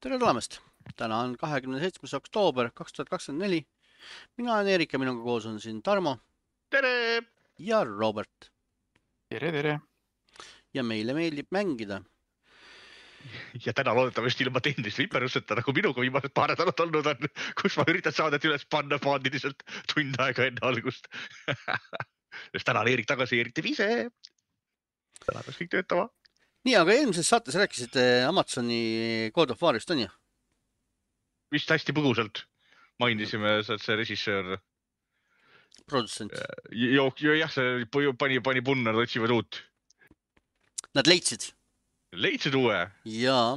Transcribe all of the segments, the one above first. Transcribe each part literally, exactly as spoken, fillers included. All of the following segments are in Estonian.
Tere tulemast! Täna on kahekümne seitsmes oktoober kaks tuhat kakskümmend neli. Mina olen Erik ja minuga koos on siin Tarmo Tere! ja Robert. Tere, tere! Ja meile meeldib mängida. Ja täna loodetavasti ilma tehnilist viperuseta, nagu minuga viimased paar nädalat olnud on, kus ma üritan saadet üles panna paaniliselt tund aega enne algust. Sest täna on Erik tagasi, Erik teeb ise. Täna peaks kõik töötama. Nii, aga eelmises saates rääkisite Amazoni God of Warist, on ju? Vist hästi põgusalt mainisime, et see režissöör. Produtsent. Jo, jo, jah, see pani, pani punna, nad otsivad uut. Nad leidsid. Leidsid uue? Jaa.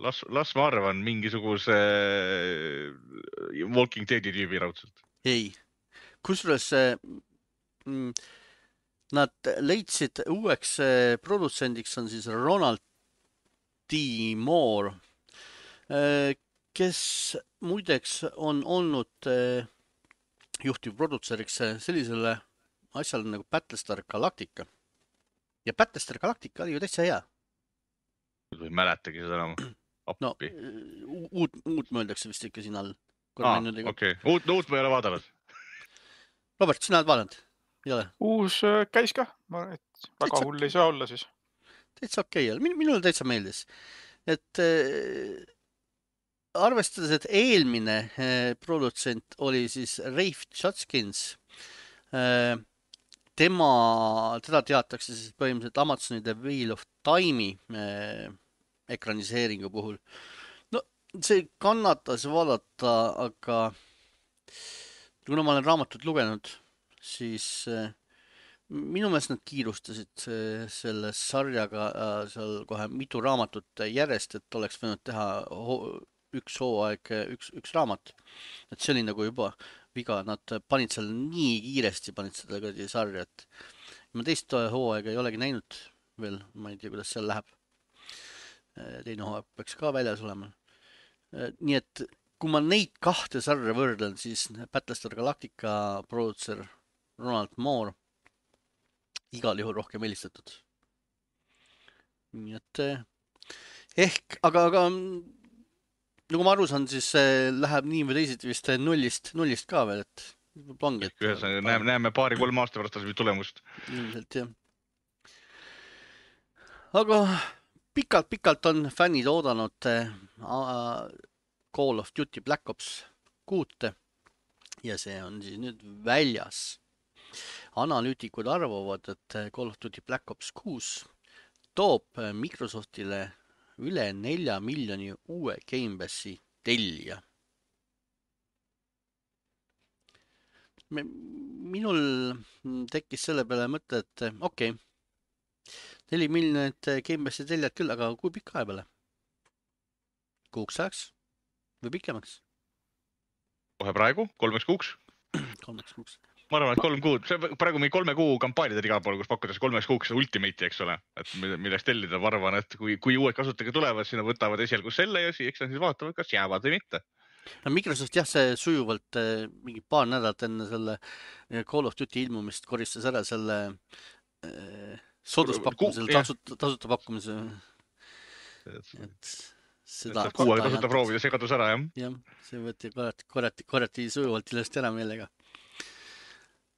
Las, las ma arvan mingisuguse Walking Deadi tüübi raudselt. Ei. Kusjuures mm, nad leidsid uueks produtsendiks on siis Ronald D. Moore, kes muideks on olnud juhtivprodutseriks sellisele asjale nagu Battlestar Galactica. Ja Battlestar Galactica oli ju täitsa hea. Ei mäletagi seda enam. No, uut, uut mõeldakse vist ikka siin all. Aa, okei. Okay. Uut, uut ma ei ole vaadanud. Robert, sina oled vaadanud? Ei ole? Uus käis ka. Ma arvan, et väga täitsa hull ei saa olla siis. Täitsa okei okay. Min, minule täitsa meeldis. Et äh, arvestades, et eelmine äh, produtsent oli siis Rafe Judkins, äh, tema, teda teatakse siis põhimõtteliselt Amazoni The Wheel of Time'i äh, ekraniseeringu puhul. No, see kannatas vaadata, aga kuna ma olen raamatut lugenud, siis äh, minu meelest nad kiirustasid äh, selle sarjaga äh, seal kohe mitu raamatut järjest, et oleks võinud teha ho üks hooaeg, üks, üks raamat. Et see oli nagu juba viga, nad panid seal nii kiiresti, panid seda kõrdi sarja, et ma teist hooaega ei olegi näinud veel, ma ei tea, kuidas seal läheb. Teine hooaeg peaks ka väljas olema. Nii et kui ma neid kahte sarja võrdlen, siis Battlestar Galactica producer Ronald Moore igal juhul rohkem eelistatud. Nii et ehk, aga, aga nagu ma aru saan, siis läheb nii või teisiti vist nullist, nullist ka veel, et plangi, et ühesõnaga, näeme, näeme paari kolm aasta pärast tulemust. Ilmselt, jah. Aga pikalt-pikalt on fännid oodanud Call of Duty Black Ops kuute ja see on siis nüüd väljas. Analüütikud arvavad, et Call of Duty Black Ops kuus toob Microsoftile üle nelja miljoni uue Game Passi tellija. Minul tekkis selle peale mõte, et okei, okay, neli miljonit Game Passi tellijad küll, aga kui pikka aja peale? Kuuks ajaks või pikemaks? Kohe praegu, kolmeks kuuks? Kolmeks kuuks. Ma arvan, et kolm kuud, see praegu mingi kolme kuu kampaaniad igal pool, kus pakkudes kolmeks kuuks Ultimate'i, eks ole, et milleks tellida, ma arvan, et kui, kui uued kasutajad tulevad, siis nad võtavad esialgu selle ja siis nad vaatavad, kas jäävad või mitte. No Microsoft jah, see sujuvalt mingi paar nädalat enne selle Call of Duty ilmumist koristas ära selle äh, sooduspakkumise, tasuta, tasuta pakkumise. Et seda kuu aega tasuta proovida, see kadus ära, jah? Jah, see võeti korrati, korrati, korrati sujuvalt ilusti ära meelega.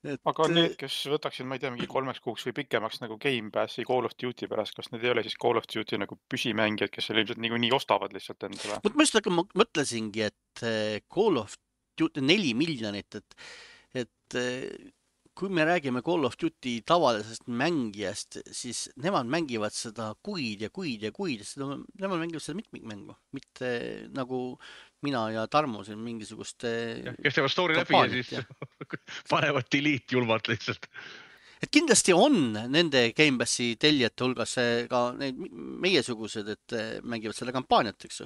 Et... Aga need, kes võtaksid, ma ei tea, mingi kolmeks kuuks või pikemaks nagu Game Passi Call of Duty pärast, kas need ei ole siis Call of Duty nagu püsimängijad, kes seal ilmselt nii, nii ostavad lihtsalt endale? Ma just aga mõtlesingi, et Call of Duty neli miljonit, et, et kui me räägime Call of Duty tavalisest mängijast, siis nemad mängivad seda kuid ja kuid ja kuid, seda, nemad mängivad seda mitmikmängu, mitte nagu mina ja Tarmo siin mingisugust kes teevad story läbi ja siis ja. panevad delete julmalt lihtsalt. Et kindlasti on nende Game Passi tellijate hulgas ka neid meiesugused, et mängivad selle kampaaniat, eks.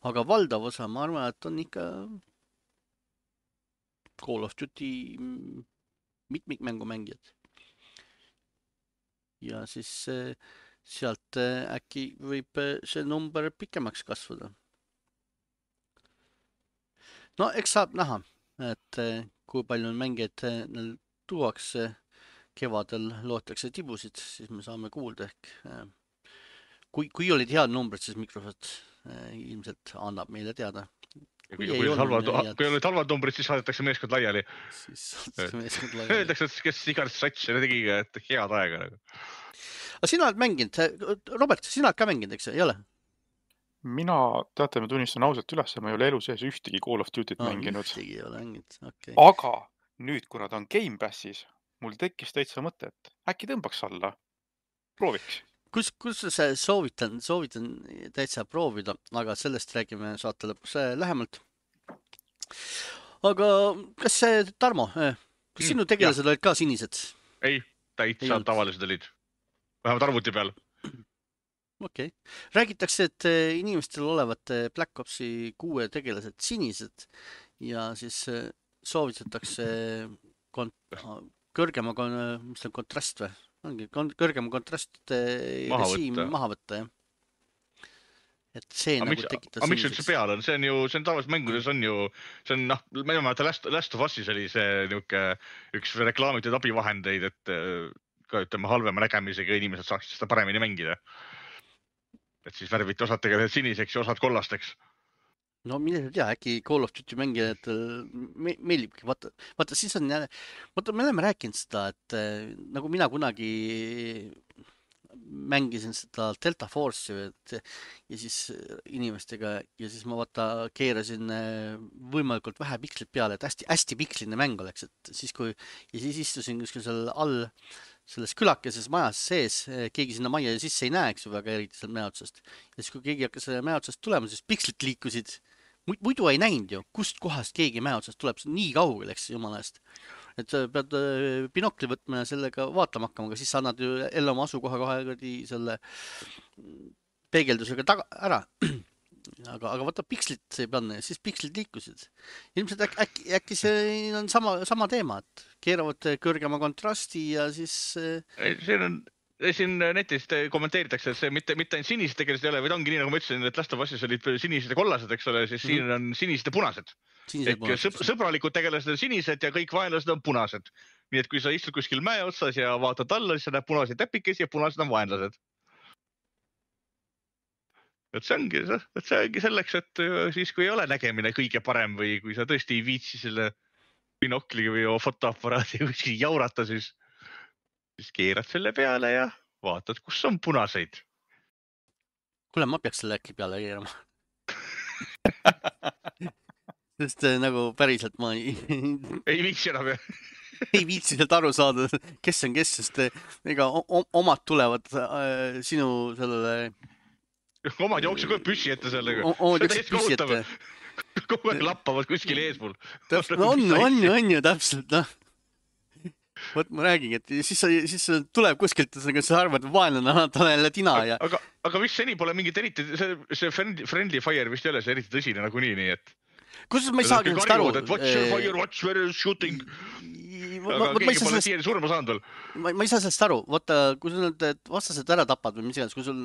Aga valdav osa, ma arvan, et on ikka Call of Duty mitmikmängu mängijad. Ja siis sealt äkki võib see number pikemaks kasvada. No eks saab näha, et kui palju mängijaid neil tuuakse, kevadel lootakse tibusid, siis me saame kuulda ehk. Kui, kui olid head numbrid, siis Microsoft ilmselt annab meile teada. Ja kui, kui, halvad, kui olid halvad numbrid, siis saadetakse meeskond laiali. Siis saadetakse meeskond laiali. Öeldakse, et kes igast sats ja tegi, et head aega. Aga sina oled mänginud, Robert, sina oled ka mänginud, eks ei ole? Mina, teate, ma tunnistan ausalt üles, ma ei ole elu sees ühtegi Call of Duty't no, mänginud. Ühtegi ei ole mänginud, okei. Okay. Aga nüüd, kuna ta on Game Passis, mul tekkis täitsa mõte, et äkki tõmbaks alla. Prooviks. Kus, kus sa soovitan, soovitan täitsa proovida, aga sellest räägime saate lõpus lähemalt. Aga kas see, Tarmo, kas sinu tegelased mm, olid ka sinised? Ei, täitsa ei tavalised olid. Vähemalt arvuti peal. Okei. Okay. Räägitakse, et inimestel olevat Black Opsi kuue tegelased sinised ja siis soovitatakse kont- kõrgema mis on kontrast või? Ongi kõrgema kontrastide maha režiim võtta. maha võtta, jah. Et see aga nagu miks, tekitas... Aga miks üldse peal on? See on ju, see on tavaliselt mängudes on ju, see on, noh, ma ei mäleta, Last, Last of Us'is oli see niuke üks reklaamitud abivahendeid, et ka ütleme halvema nägemisega inimesed saaks seda paremini mängida. Et siis värviti osad tegelikult siniseks ja osad kollasteks. No mine tea, äkki Call of Duty mängijad me, meelibki, vaata, vaata siis on jälle, vaata me oleme rääkinud seda, et nagu mina kunagi mängisin seda Delta Force'i et, ja siis inimestega ja siis ma vaata keerasin võimalikult vähe pikslit peale, et hästi, hästi piksline mäng oleks, et siis kui ja siis istusin kuskil seal all selles külakeses majas sees, keegi sinna majja sisse ei näe, eks ju, väga eriti seal mäe otsast ja siis kui keegi hakkas mäe otsast tulema, siis pikslit liikusid muidu ei näinud ju, kust kohast keegi mäe otsast tuleb, see on nii kaugel, eks jumala eest. Et pead binokli võtma ja sellega vaatama hakkama, aga siis sa annad ju jälle oma asukoha kohe selle peegeldusega taga ära. Aga, aga vaata pikslit ei panna ja siis pikslit liikusid. Ilmselt äk, äkki, äkki see on sama, sama teema, et keeravad kõrgema kontrasti ja siis... See on... Siin netist kommenteeritakse, et see mitte, mitte ainult sinised tegelased ei ole, vaid ongi nii, nagu ma ütlesin, et Last of Us'is olid sinised ja kollased, eks ole, siis mm-hmm. siin on sinised ja punased. Ehk sõb sõbralikud tegelased on sinised ja kõik vaenlased on punased. Nii et kui sa istud kuskil mäe otsas ja vaatad alla, siis sa näed punaseid täpikesi ja punased on vaenlased. Et see ongi, et see ongi selleks, et siis kui ei ole nägemine kõige parem või kui sa tõesti ei viitsi selle binokli või fotoaparaadi kuskil jaurata, siis siis keerad selle peale ja vaatad, kus on punaseid. Kuule, ma peaks selle äkki peale keerama. Sest nagu päriselt ma ei... ei viitsi enam, jah. ei viitsi sealt aru saada, kes on kes, sest ega omad tulevad äh, sinu sellele... Omad jooksu kohe püssi ette sellega. Omad jooksu püssi ette. Kogu aeg lappavad kuskil eespool. No on, on ju, on ju, täpselt, noh. Võt ma räägin, et siis, siis tuleb kuskilt, sa arvad, vaenlane, ta on jälle tina ja... Aga, aga vist seni pole mingit eriti, see, see friendly fire vist ei ole see eriti tõsine nagu nii, nii et... Kus ma ei saagi nendest aru? Watch your fire, watch where is shooting. Aga keegi pole siiani surma saanud veel. Ma ei saa sellest aru. Vaata, kui sul need vastased ära tapad või mis iganes, kui sul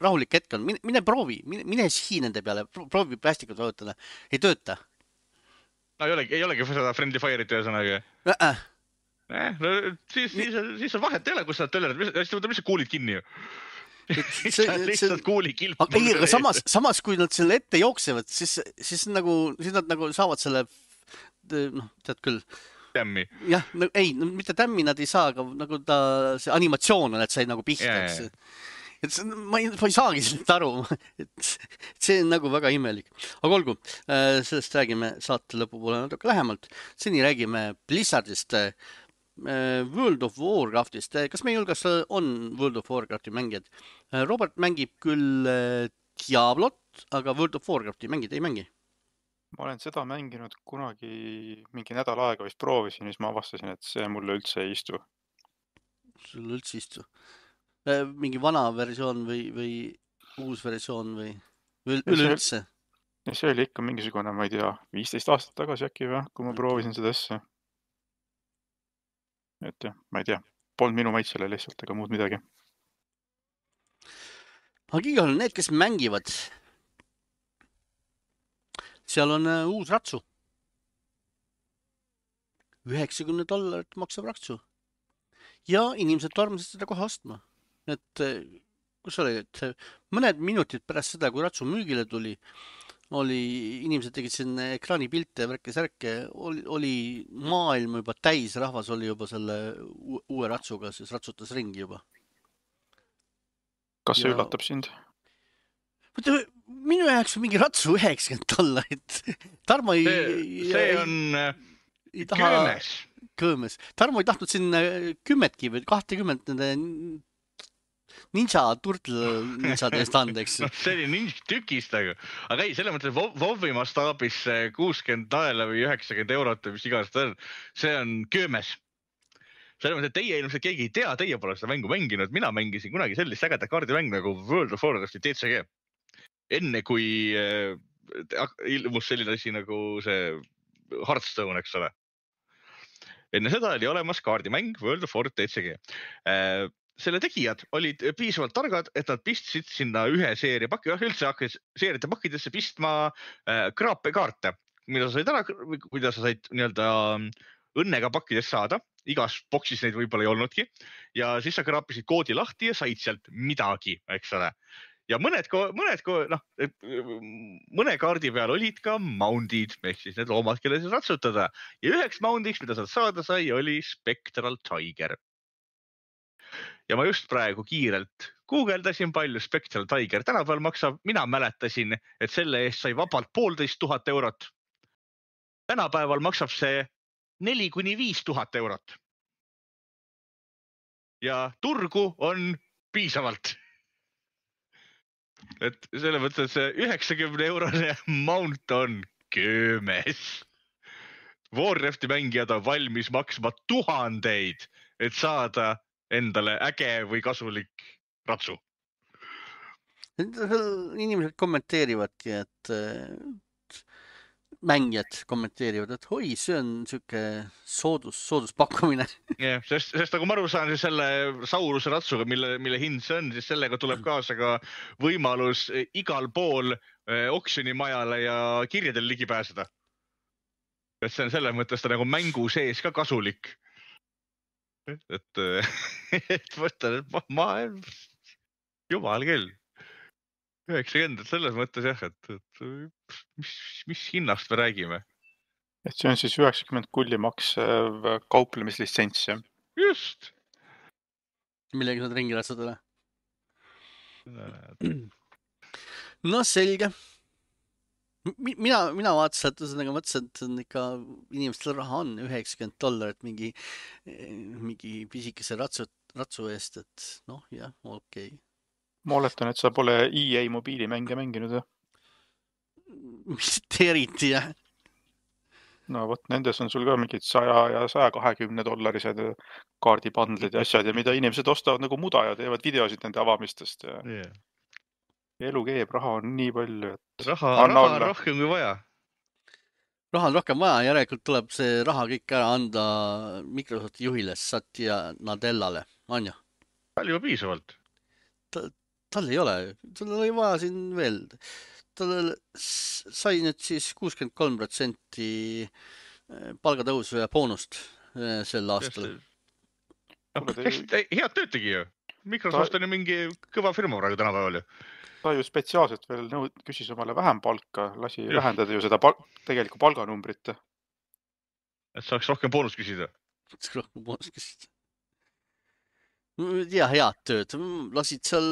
rahulik hetk on, mine, mine proovi, mine, mine sihi nende peale, proovi päästikut vajutada. Ei tööta. No ei olegi, ei olegi seda friendly fire'it ühesõnaga. Äh-äh. Eh, no, siis, siis, siis on vahet ei ole, kus sa tölled, siis võtab lihtsalt kuulid kinni ju. See, lihtsalt kuuli kilp. Ei, aga samas, samas kui nad selle ette jooksevad, siis, siis, nagu, siis nad nagu saavad selle, noh, tead küll. Tämmi. Jah, no, ei, no, mitte tämmi nad ei saa, aga nagu ta, see animatsioon on, et sai nagu pihta. Yeah. Et see, ma, ei, ma ei saagi sellest aru, et see on nagu väga imelik. Aga olgu, sellest räägime saate lõpupoole natuke lähemalt. Seni räägime Blizzardist, World of Warcraftist. Kas meie hulgas on World of Warcrafti mängijad? Robert mängib küll Diablot, aga World of Warcrafti mängid ei mängi. Ma olen seda mänginud kunagi mingi nädal aega vist proovisin, siis ma avastasin, et see mulle üldse ei istu. Sulle üldse ei istu? Mingi vana versioon või, või uus versioon või, või üleüldse? Ja see oli ikka mingisugune, ma ei tea, viisteist aastat tagasi äkki või, kui ma proovisin seda asja. Et jah, ma ei tea, polnud minu maitsele lihtsalt, ega muud midagi. Aga igal on need, kes mängivad, seal on uus ratsu. üheksakümmend dollarit maksab ratsu. Ja inimesed armasid seda kohe ostma. Et kus oli, et mõned minutid pärast seda, kui ratsu müügile tuli, oli, inimesed tegid siin ekraanipilte ja värke-särke, oli, oli maailm juba täis, rahvas oli juba selle uue ratsuga, siis ratsutas ringi juba. Kas see Ja- üllatab sind? Mõtle, minu jaoks on mingi ratsu üheksakümmend dollarit. Tarmo ei, see, see on ei taha köömes. kõõmes. Tarmo ei tahtnud sinna kümmetki või kahtekümmet nende ninja turtle ninjade eest anda, eks. noh, see oli ninja tükist, aga, aga ei, selles mõttes, et WoW-i mastaabis kuuskümmend naela või üheksakümmend eurot või mis iganes ta on, see on köömes. Selles mõttes, et teie ilmselt keegi ei tea, teie pole seda mängu mänginud. Mina mängisin kunagi sellist ägedat kaardimängu nagu World of Warcrafti D C G. Enne kui äh, ilmus selline asi nagu see Hearthstone, eks ole. Enne seda oli olemas kaardimäng World of Warcraft D C G. Äh, selle tegijad olid piisavalt targad, et nad pistsid sinna ühe seeria pakki, üldse hakkas seeriate pakkidesse pistma äh, kraapekaarte, mida sa said ära, mida sa said nii-öelda õnnega pakkidest saada. Igas boksis neid võib-olla ei olnudki. Ja siis sa kraapisid koodi lahti ja said sealt midagi, eks ole. Ja mõned, mõned, noh, mõne kaardi peal olid ka moundid, ehk siis need loomad, kelle siis ratsutada. Ja üheks moundiks, mida sa saada sai, oli Spectral Tiger. Ja ma just praegu kiirelt guugeldasin, palju Spectral Tiger tänapäeval maksab. Mina mäletasin, et selle eest sai vabalt poolteist tuhat eurot. Tänapäeval maksab see neli kuni viis tuhat eurot. Ja turgu on piisavalt. Et selle mõttes see üheksakümne eurone mount on köömes. Warcrafti mängijad on valmis maksma tuhandeid, et saada endale äge või kasulik ratsu. Inimesed kommenteerivadki, et mängijad kommenteerivad, et oi, see on siuke soodus, sooduspakkumine. Yeah, sest, sest nagu ma aru saan, selle Sauruse ratsuga, mille, mille hind see on, siis sellega tuleb kaasa ka võimalus igal pool oksjonimajale ja kirjadel ligi pääseda. Et see on selles mõttes ta nagu mängu sees ka kasulik. Et, et võtta, et ma, jumal küll. üheksakümmend, selles mõttes jah, et, et mis, mis hinnast me räägime? Et see on siis üheksakümmend kulli maksev kauplemislitsents, jah? Just! Millega saad ringi ratsadele? No selge. Mina, mina vaatasin, et ühesõnaga mõtlesin, et on ikka inimestel raha on üheksakümmend dollarit mingi, mingi pisikese ratsu, ratsu eest, et noh, jah, okei. Okay. Ma oletan, et sa pole E A mobiilimänge mänginud, jah? Mitte eriti, jah. No vot, nendes on sul ka mingid saja ja saja kahekümne dollarised kaardipandlid ja asjad ja mida inimesed ostavad nagu muda ja teevad videosid nende avamistest. Ja yeah. Elu keeb, raha on nii palju, et raha, raha on rohkem kui vaja. Raha on rohkem vaja, järelikult tuleb see raha kõik ära anda Microsofti juhile Satya Nadellale, on ju? Tal juba piisavalt. Ta, tal ei ole, tal oli vaja siin veel. Tal sai nüüd siis kuuskümmend kolm protsenti palgatõusu ja boonust sel aastal. No, head tööd tegi ju. Microsoft on ju mingi kõva firma praegu tänapäeval ju. Ta ju spetsiaalselt veel nõud, küsis omale vähem palka, lasi Just. vähendada ju seda pal tegelikku palganumbrit. Et saaks rohkem boonust küsida. Saaks rohkem boonust küsida. Ja head tööd. Lasid seal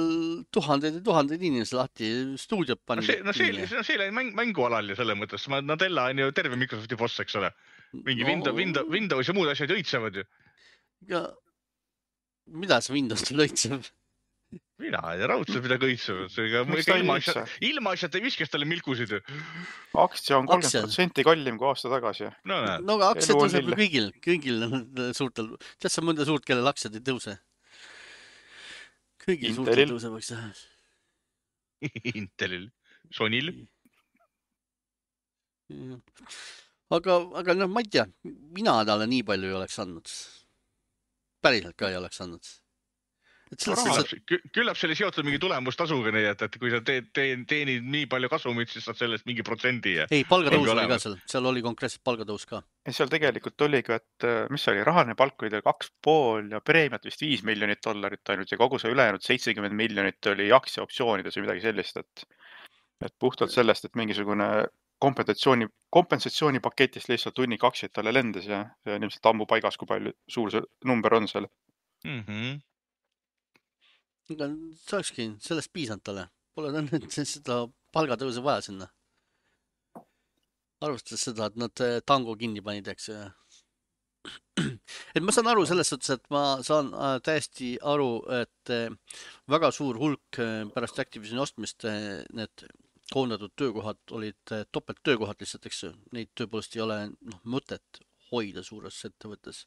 tuhandeid ja tuhandeid inimesi lahti stuudiot pannud. No see, no see, no see oli mäng, mängualal ju selle mõttes. Nadella on ju terve Microsofti boss, eks ole. Mingi no, Windows, Windows, Windows ja muud asjad õitsevad ju. Ja mida see Windows õitseb? Mina ei tea, raudselt mida õitsevad. Ilma, ilma asjad ei viskast talle milkusid ju. Aktsia on kolmkümmend protsenti kallim kui aasta tagasi. No, no aga aktsiad tõuseb kõigil, kõigil suurtel. Tead sa mõnda suurt, kellel aktsiad ei tõuse? Kõigil suurtel tõusevaks teha. Intelil, Sonil. Aga, aga noh, ma ei tea, mina talle nii palju ei oleks andnud. Päriselt ka ei oleks andnud. et selles Raha- suhtes, et Küllap, küllap see oli seotud mingi tulemustasuga, nii et, et kui sa teed, teed, teenid nii palju kasumit, siis saad sellest mingi protsendi ja ei, palgatõus Ongi oli ka olemas. seal, seal oli konkreetselt palgatõus ka. ja seal tegelikult oligi, et äh, mis see oli, rahaline palk oli teil kaks pool ja preemiat vist viis miljonit dollarit ainult ja kogu see ülejäänud seitsekümmend miljonit oli aktsiaoptsioonides või midagi sellist, et, et puhtalt sellest, et mingisugune kompensatsiooni, kompensatsioonipaketist lihtsalt hunnik aktsiaid talle lendas ja see on ilmselt ammu paigas, kui palju suur see number on seal. mm -hmm. aga see olekski sellest piisanud talle. Pole ta nüüd seda palgatõusu vaja sinna. Arvestades seda, et nad eh, tango kinni panid, eks. Et ma saan aru selles suhtes, et ma saan äh, täiesti aru, et äh, väga suur hulk äh, pärast Activisioni ostmist äh, need koondatud töökohad olid äh, topelt töökohad lihtsalt, eks ju. Neid tõepoolest ei ole noh, mõtet hoida suures ettevõttes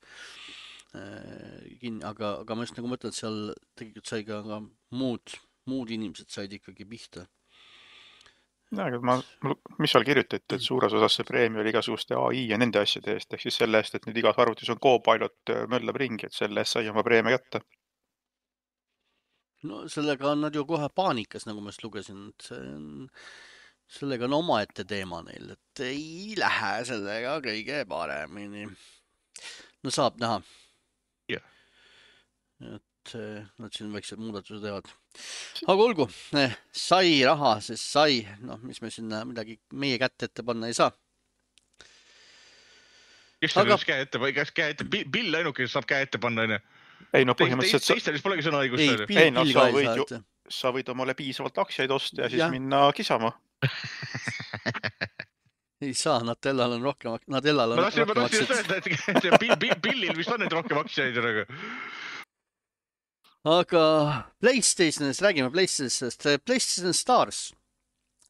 äh, kinni, aga, aga ma just nagu mõtlen, et seal tegelikult sai ka, ka muud, muud inimesed said ikkagi pihta. Ja, aga ma, mis seal kirjutati, et suures osas see preemia oli igasuguste A I ja nende asjade eest, ehk siis selle eest, et nüüd igas arvutis on Copilot möllab ringi, et selle eest sai oma preemia kätte. No sellega on nad ju kohe paanikas, nagu ma just lugesin, et see on, sellega on omaette teema neil, et ei lähe sellega kõige paremini. No saab näha. Jah. Et nad siin väiksed muudatused teevad. Aga olgu, sai raha, siis sai, noh, mis me sinna midagi meie kätte ette panna ei saa. Kes seal aga... käe ette, kas käe ette, Bill ainuke saab käe ette panna, on ju? Ei, no põhimõtteliselt... Teistel vist polegi sõna õigust. Ei, Bill, ei, no Bill sa ka ei võid, saa. ju, Et... sa võid omale piisavalt aktsiaid osta ja siis Ja. minna kisama. Ei saa, Natellal on rohkem, Natellal on Ma tahtsin, ma rohkem tahtsin just aktsiaid. öelda, et Bill, Bill, Billil vist on nüüd rohkem aktsiaid. Aga... Aga PlayStationist, räägime PlayStationist. PlayStation Stars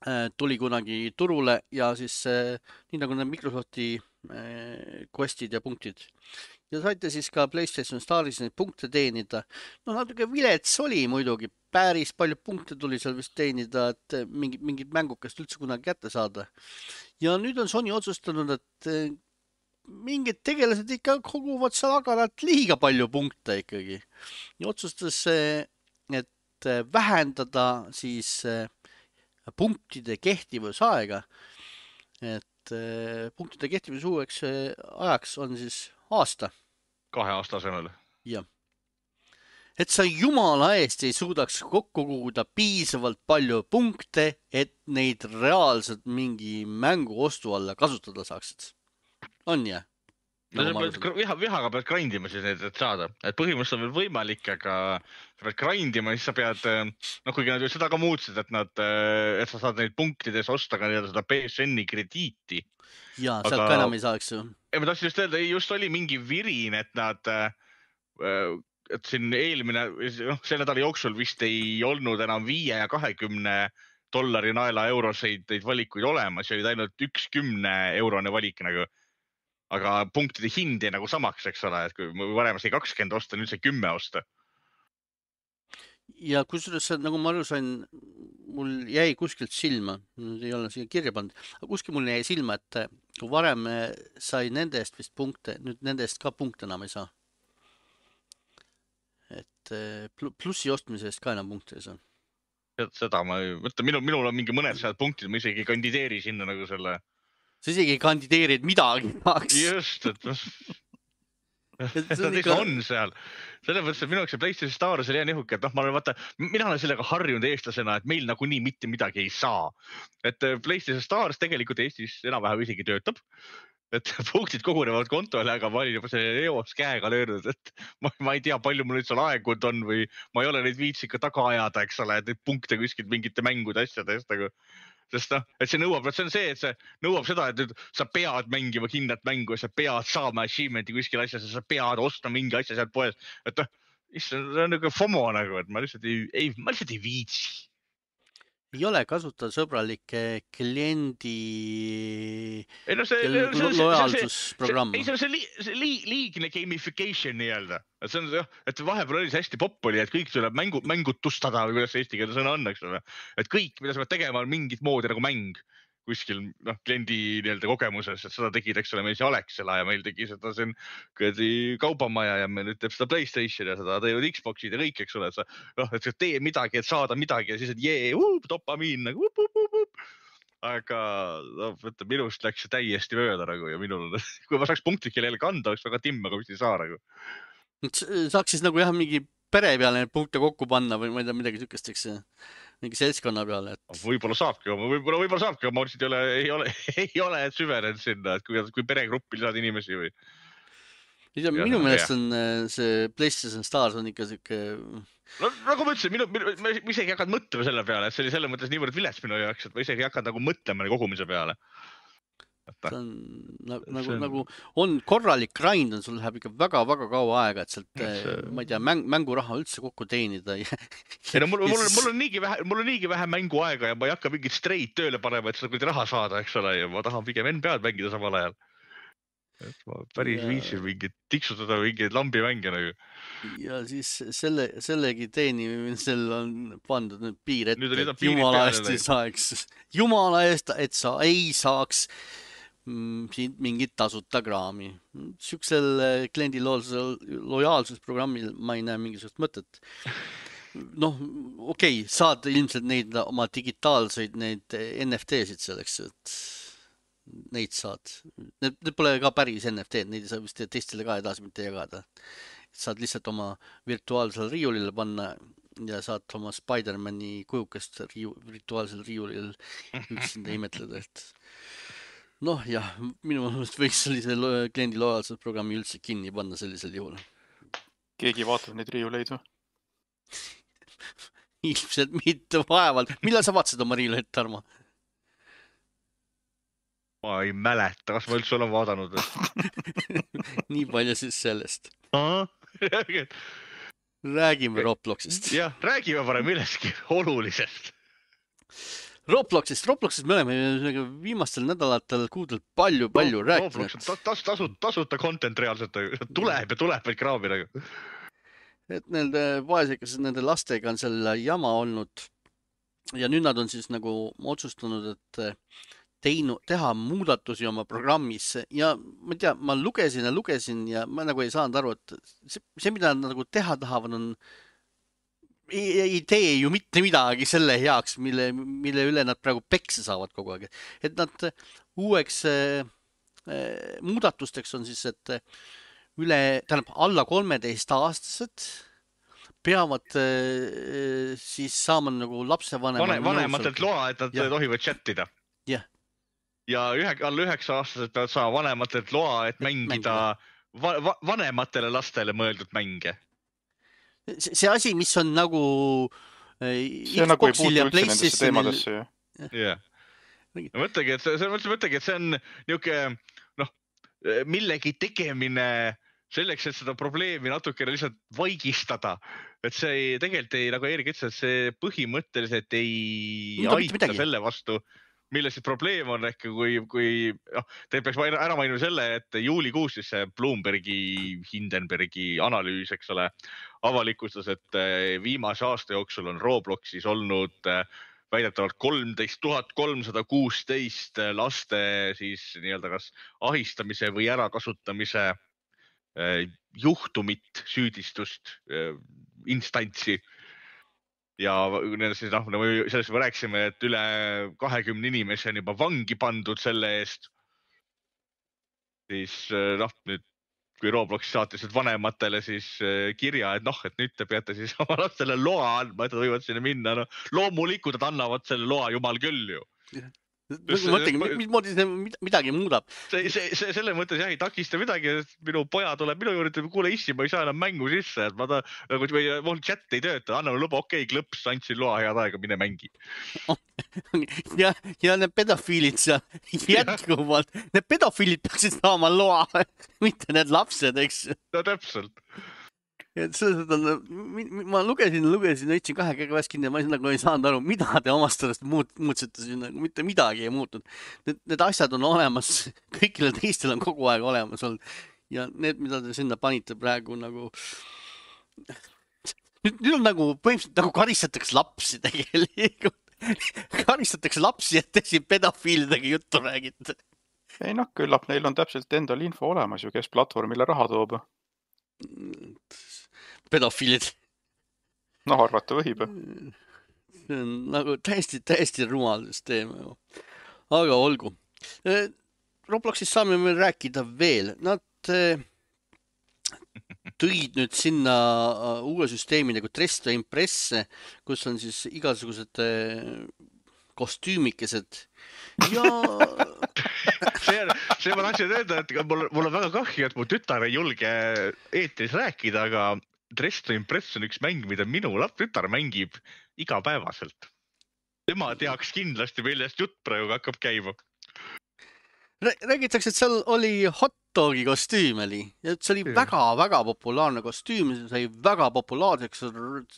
äh, tuli kunagi turule ja siis äh, nii nagu need Microsofti äh, questid ja punktid. Ja saite siis ka PlayStation Staris neid punkte teenida. No natuke vilets oli muidugi. Päris palju punkte tuli seal vist teenida, et mingid, mingid mängukest üldse kunagi kätte saada. Ja nüüd on Sony otsustanud, et äh, mingid tegelased ikka koguvad seal agaralt liiga palju punkte ikkagi. Ja otsustas, et vähendada siis punktide kehtivusaega. Et punktide kehtivusujaks ajaks on siis aasta. Kahe aasta asemel. Jah. Et sa jumala eest ei suudaks kokku koguda piisavalt palju punkte, et neid reaalselt mingi mängu ostu alla kasutada saaksid. On jah? No, sa pead viha, vihaga pead grindima siis need, et saada. Et põhimõtteliselt on veel võimalik, aga sa pead grindima, siis sa pead, noh, kuigi nad ju seda ka muutsid, et nad, et sa saad neid punktides osta ka seda P S N-i krediiti. Jaa, sealt aga... ka enam ei saaks ju. Ja ma tahtsin just öelda, just oli mingi virin, et nad, et siin eelmine, noh, selle nädala jooksul vist ei olnud enam viie ja kahekümne dollari naela euroseid neid valikuid olemas, ja olid ainult üks kümne eurone valik nagu. Aga punktide hind jäi nagu samaks, eks ole, et kui varem sai kakskümmend osta, nüüd sai kümme osta. Ja kusjuures, nagu ma aru sain, mul jäi kuskilt silma, nüüd ei ole siia kirja pannud, aga kuskil mul jäi silma, et kui varem sai nende eest vist punkte, nüüd nende eest ka punkte enam ei saa. Et plussi ostmise eest ka enam punkte ei saa. Seda ma ei mõtle, minul, minul on mingi mõned sealt punktid, ma isegi kandideeri sinna nagu selle... Sa isegi kandideerid midagi tahaks. Just, et nad ikka on seal. Selle mõttes, et minu jaoks see PlayStation Stars oli hea nihuke, et noh, ma olen vaata, mina olen sellega harjunud eestlasena, et meil nagunii mitte midagi ei saa. Et PlayStation Stars tegelikult Eestis enam-vähem isegi töötab. Et punktid kogunevad kontole, aga ma olin juba selle eos käega löönud, et ma, ma ei tea, palju mul nüüd seal aegud on või ma ei ole neid viitsika taga ajada, eks ole, et neid punkte kuskilt mingite mängude asjadest, aga sest noh, et see nõuab, et see on see, et see nõuab seda, et nüüd sa pead mängima kindlat mängu ja sa pead saama achievement'i kuskil asjas ja sa pead ostma mingi asja sealt poes. Et noh, see on nagu FOMO nagu, et ma lihtsalt ei, ei, ma lihtsalt ei viitsi. Ei ole kasutajasõbralike kliendi ei, no see, lo see, lojaalsusprogramm. Ei, see on see, li, see li, liigne gamification nii-öelda. Et see on see, et vahepeal oli see hästi popp oli, et kõik tuleb mängu, mängutustada või kuidas eesti keeles sõna on, eks ole. Et kõik, mida sa pead tegema, on mingit moodi nagu mäng. kuskil noh, kliendi nii-öelda kogemuses, et seda tegid, eks ole, meil see Alexela ja meil tegi seda siin kaubamaja ja meil nüüd teeb seda PlayStation ja seda teevad Xboxid ja kõik, eks ole, et sa, noh, et sa tee midagi, et saada midagi ja siis, et jee, uh, dopamiin nagu up, up, up, up. Aga no, võtta, minust läks see täiesti mööda nagu ja minul, kui ma saaks punktikele jälle kanda, oleks väga timm, aga vist ei saa nagu. Saaks siis nagu jah, mingi pere peale punkte kokku panna või ma ei tea, midagi sükest, eks mingi seltskonna peale. Et... Võib-olla saabki, võib-olla, võib-olla saabki, ma mõtlesin, et ei ole, ei ole, ei ole süvenenud sinna, et kui, kui peregruppi lisad inimesi või. Ja, minu meelest on see PlayStation Stars on ikka siuke... No, nagu ma ütlesin, minu, minu, ma isegi ei hakanud mõtlema selle peale, et see oli selles mõttes niivõrd vilets minu jaoks, et ma isegi ei hakanud nagu mõtlema kogumise peale. See on nagu, nagu, on... nagu on korralik grind on, sul läheb ikka väga-väga kaua aega, et sealt, see... ma ei tea, mäng, mänguraha üldse kokku teenida. Ja... ei no mul, mul, on, mul on niigi vähe, mul on niigi vähe mänguaega ja ma ei hakka mingit straight tööle panema, et seda kuidagi raha saada, eks ole, ja ma tahan pigem N B A-d mängida samal ajal. Et ma päris ja... viitsin mingit tiksutada mingeid lambi mänge nagu. Ja siis selle, sellegi teenimisel on pandud nüüd piir ette, nüüd et jumala eest ei saaks, jumala eest, et sa ei saaks mm, siin mingit tasuta kraami. Siuksel kliendi lojaalsusprogrammil ma ei näe mingisugust mõtet. Noh, okei, okay, saad ilmselt neid oma digitaalseid neid N F T-sid selleks, et neid saad. Need, need pole ka päris N F T-d, neid ei saa vist teistele ka edasi mitte jagada. Saad lihtsalt oma virtuaalsel riiulile panna ja saad oma Spider-Mani kujukest riiu, virtuaalsel riiulil üksinda imetleda. Et... noh, jah, minu mõelest võiks sellise kliendi lojaalsusprogrammi üldse kinni panna sellisel juhul. Keegi vaatab neid riiuleid või? Ilmselt mitte vaevalt. Millal sa vaatasid oma riiuleid, Tarmo? Ma ei mäleta, kas ma üldse olen vaadanud. Nii palju siis sellest. Räägime, räägime Robloxist. Jah, räägime parem millestki olulisest. Robloxist, Robloxist me oleme viimastel nädalatel kuudel palju, palju no, rääkinud. Roblox on tas, tasut, tasuta content reaalselt, tuleb ja tuleb veel kraami nagu. Et nende vaesekas, nende lastega on selle jama olnud ja nüüd nad on siis nagu otsustanud, et teinu, teha muudatusi oma programmis ja ma ei tea, ma lugesin ja lugesin ja ma nagu ei saanud aru, et see, see mida nad nagu teha tahavad, on ei, ei tee ju mitte midagi selle heaks, mille, mille üle nad praegu pekse saavad kogu aeg. Et nad uueks äh, muudatusteks on siis, et üle, tähendab, alla kolmeteist aastased peavad äh, siis saama nagu lapsevanema Vane, vanematelt loa, et nad ja. tohivad chattida. Jah. Ja ühe, alla üheksa aastased peavad saama vanematelt loa, et mängida va, va, vanematele lastele mõeldud mänge. See, see asi, mis on nagu see nagu ei puutu üldse nendesse teemadesse. Jah. Mõtlegi, et see, see, mõtlegi, et see on niuke, noh, millegi tegemine selleks, et seda probleemi natukene lihtsalt vaigistada. Et see ei, tegelikult ei, nagu Eerik ütles, et see põhimõtteliselt ei no, aita selle vastu, mille siis probleem on ehk kui, kui noh, teil peaks ära mainima selle, et juulikuus siis see Bloombergi, Hindenbergi analüüs, eks ole, avalikustas, et viimase aasta jooksul on Robloxis olnud väidetavalt kolmteist tuhat kolmsada kuusteist laste siis nii-öelda kas ahistamise või ärakasutamise juhtumit, süüdistust, instantsi. Ja siis, noh, sellest me rääksime, et üle kahekümne inimesi on juba vangi pandud selle eest. Siis, noh, nüüd, kui Roblox saatis vanematele siis kirja, et noh, et nüüd te peate siis oma lastele loa andma, et nad võivad sinna minna. No, loomulikult nad annavad selle loa jumal küll ju. Mõtlegi, mis moodi see midagi muudab? See, see, see, selle mõttes jah, ei takista midagi, minu poja tuleb minu juurde, kuule issi, ma ei saa enam mängu sisse, et ma ta, nagu mul chat ei tööta, anname luba, okei, okay, klõps, andsin loa head aega, mine mängi. ja, ja need pedofiilid seal jätkuvalt, need pedofiilid peaksid saama loa, mitte need lapsed, eks? No täpselt. Et selles on, ma lugesin, lugesin, õitsin kahe käega väes kinni ja ma nagu ei saanud aru, mida te omast sellest muut, muutsite siin, nagu mitte midagi ei muutunud. Need, need asjad on olemas, kõikile teistel on kogu aeg olemas olnud ja need, mida te sinna panite praegu nagu, nüüd, nüüd on nagu põhimõtteliselt nagu karistatakse lapsi tegelikult. karistatakse lapsi, et te siin pedofiilidega juttu räägite. Ei noh, küllap neil on täpselt endal info olemas ju, kes platvormile raha toob. Pedofiilid. Noh, arvata võib. See on nagu täiesti, täiesti rumal süsteem. Aga olgu. Robloxist saame meil rääkida veel. Nad tõid nüüd sinna uue süsteemi nagu Dress to Impress, kus on siis igasugused kostüümikesed ja see, see ma tahtsin öelda, et mul, mul on väga kahju, et mu tütar ei julge eetris rääkida, aga Dress to Impress on üks mäng, mida minu laps tütar mängib igapäevaselt. Tema teaks kindlasti, millest jutt praegu hakkab käima. Räägitakse, et seal oli hot dogi kostüüm oli. Ja see oli väga-väga populaarne kostüüm, see sai väga populaarseks,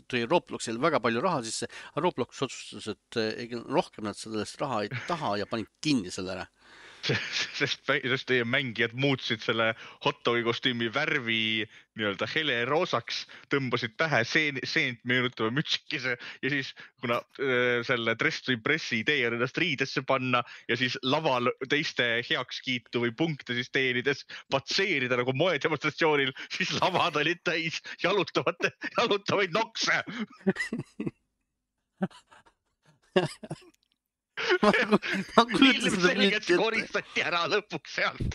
tõi Robloxil väga palju raha sisse. Roblox otsustas, et rohkem nad sellest raha ei taha ja panid kinni selle ära. Sest, sest teie mängijad muutsid selle hot dogi kostüümi värvi nii-öelda hele roosaks, tõmbasid pähe seen, seent meenutava mütsikese ja siis, kuna äh, selle Dress to Impressi idee on ennast riidesse panna ja siis laval teiste heakskiitu või punkte siis teenides patseerida nagu moedemonstratsioonil, siis lavad olid täis jalutavate, jalutavaid nokse. Ilmselgelt koristati ära lõpuks sealt.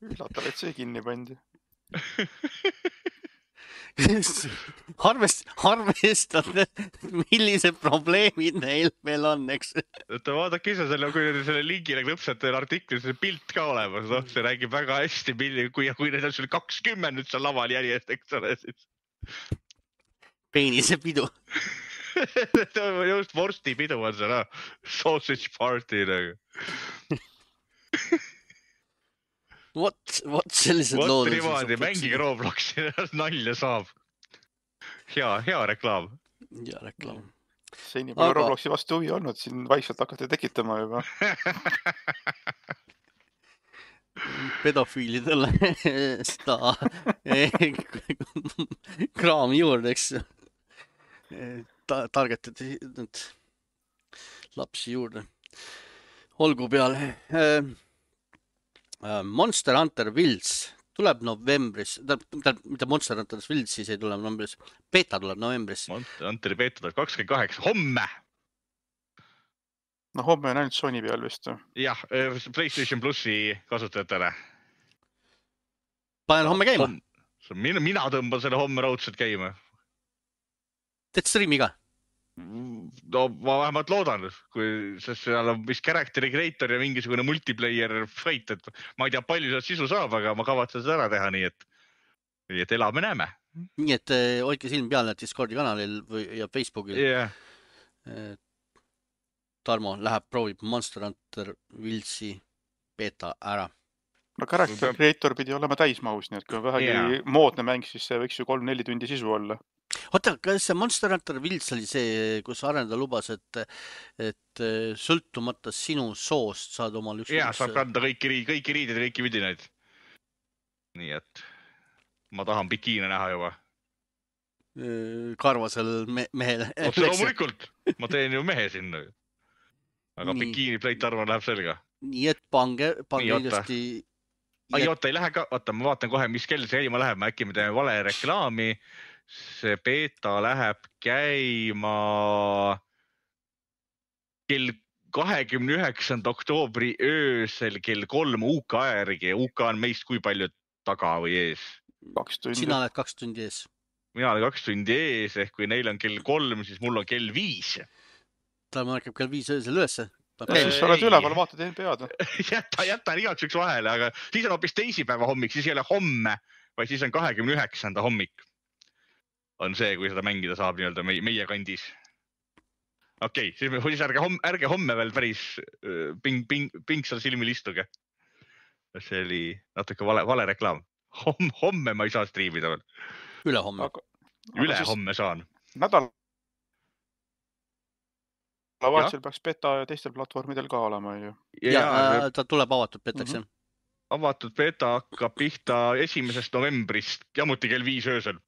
Üllatav, et see kinni pandi. Harvest, harvestada, millised probleemid neil veel on, eks? Oota, vaadake ise selle, kui selle linkile klõpsate artiklis see pilt ka olemas, noh, see räägib väga hästi, kui, kui need on sul kakskümmend nüüd seal laval järjest, eks ole, siis. Peenise pidu. Just vorsti pidu on see, no. Sausage party nagu. Vot, vot sellised vot lood. Vot niimoodi, mängige Robloxi, nalja saab. Hea, hea reklaam. Hea reklaam. Seni pole Aga... Robloxi vastu huvi olnud, siin vaikselt hakati tekitama juba. Pedofiilidele seda kraami juurde, eks Ta targetati nüüd lapsi juurde. Olgu peale. Monster Hunter Wilds tuleb novembris. Mitte Monster Hunter Wilds siis ei tule novembris. Beta tuleb novembris. Monster Hunter beta tuleb kakskümmend kaheksa. Homme! No homme on ainult Sony peal vist. Jah, PlayStation Plussi kasutajatele. Panen homme käima. Mina, mina tõmban selle homme raudselt käima. Teed streami ka? No ma vähemalt loodan, kui seal on vist character creator ja mingisugune multiplayer fight, et ma ei tea, palju sealt sisu saab, aga ma kavatsen seda ära teha, nii et, nii et elame näeme. Nii et hoidke silm peale Discordi kanalil või, ja Facebookil. Yeah. Tarmo läheb, proovib Monster Hunter Wildsi beta ära. No character creator pidi olema täismahus, nii et kui on vähegi yeah. moodne mäng, siis see võiks ju kolm-neli tundi sisu olla. Oota, kas see Monster Hunter Wilds oli see, kus arendaja lubas, et, et sõltumata sinu soost saad omal üks... Jaa, saab kanda kõiki, riid, kõiki riidid ja kõiki vidinaid. Nii et ma tahan bikiine näha juba. Karvasel me mehele. Otse loomulikult, ma teen ju mehe sinna. Aga nii. Bikiini pleit arvan läheb selga. Nii et pange, pange nii, ilusti... Ai, oota, ei lähe ka, oota, ma vaatan kohe, mis kell see käima läheb, ma äkki me teeme vale reklaami. See beta läheb käima kell kahekümne üheksanda oktoobri öösel kell kolm U K järgi. U K on meist kui palju taga või ees? Kaks tundi. Sina oled kaks tundi ees. Mina olen kaks tundi ees, ehk kui neil on kell kolm, siis mul on kell viis. Ta mõnekab kell viis öösel ülesse. Ei, siis oled üleval, vaatad N B A-d. jäta, jäta igaks üks vahele, aga siis on hoopis teisipäeva hommik, siis ei ole homme, vaid siis on kahekümne üheksanda hommik. On see, kui seda mängida saab nii-öelda meie, meie kandis. Okei, okay, siis ärge homme, ärge homme veel päris ping, ping, pingsal silmil istuge. See oli natuke vale, vale reklaam. Homme, homme ma ei saa striimida veel. Üle homme. Aga, Üle aga homme saan. Nädal vahetusel peaks beta ja teistel platvormidel ka olema. Ju. Ja, ja ta tuleb avatud betaks. Mm -hmm. Avatud beta hakkab pihta esimesest novembrist, jamuti kell viis öösel.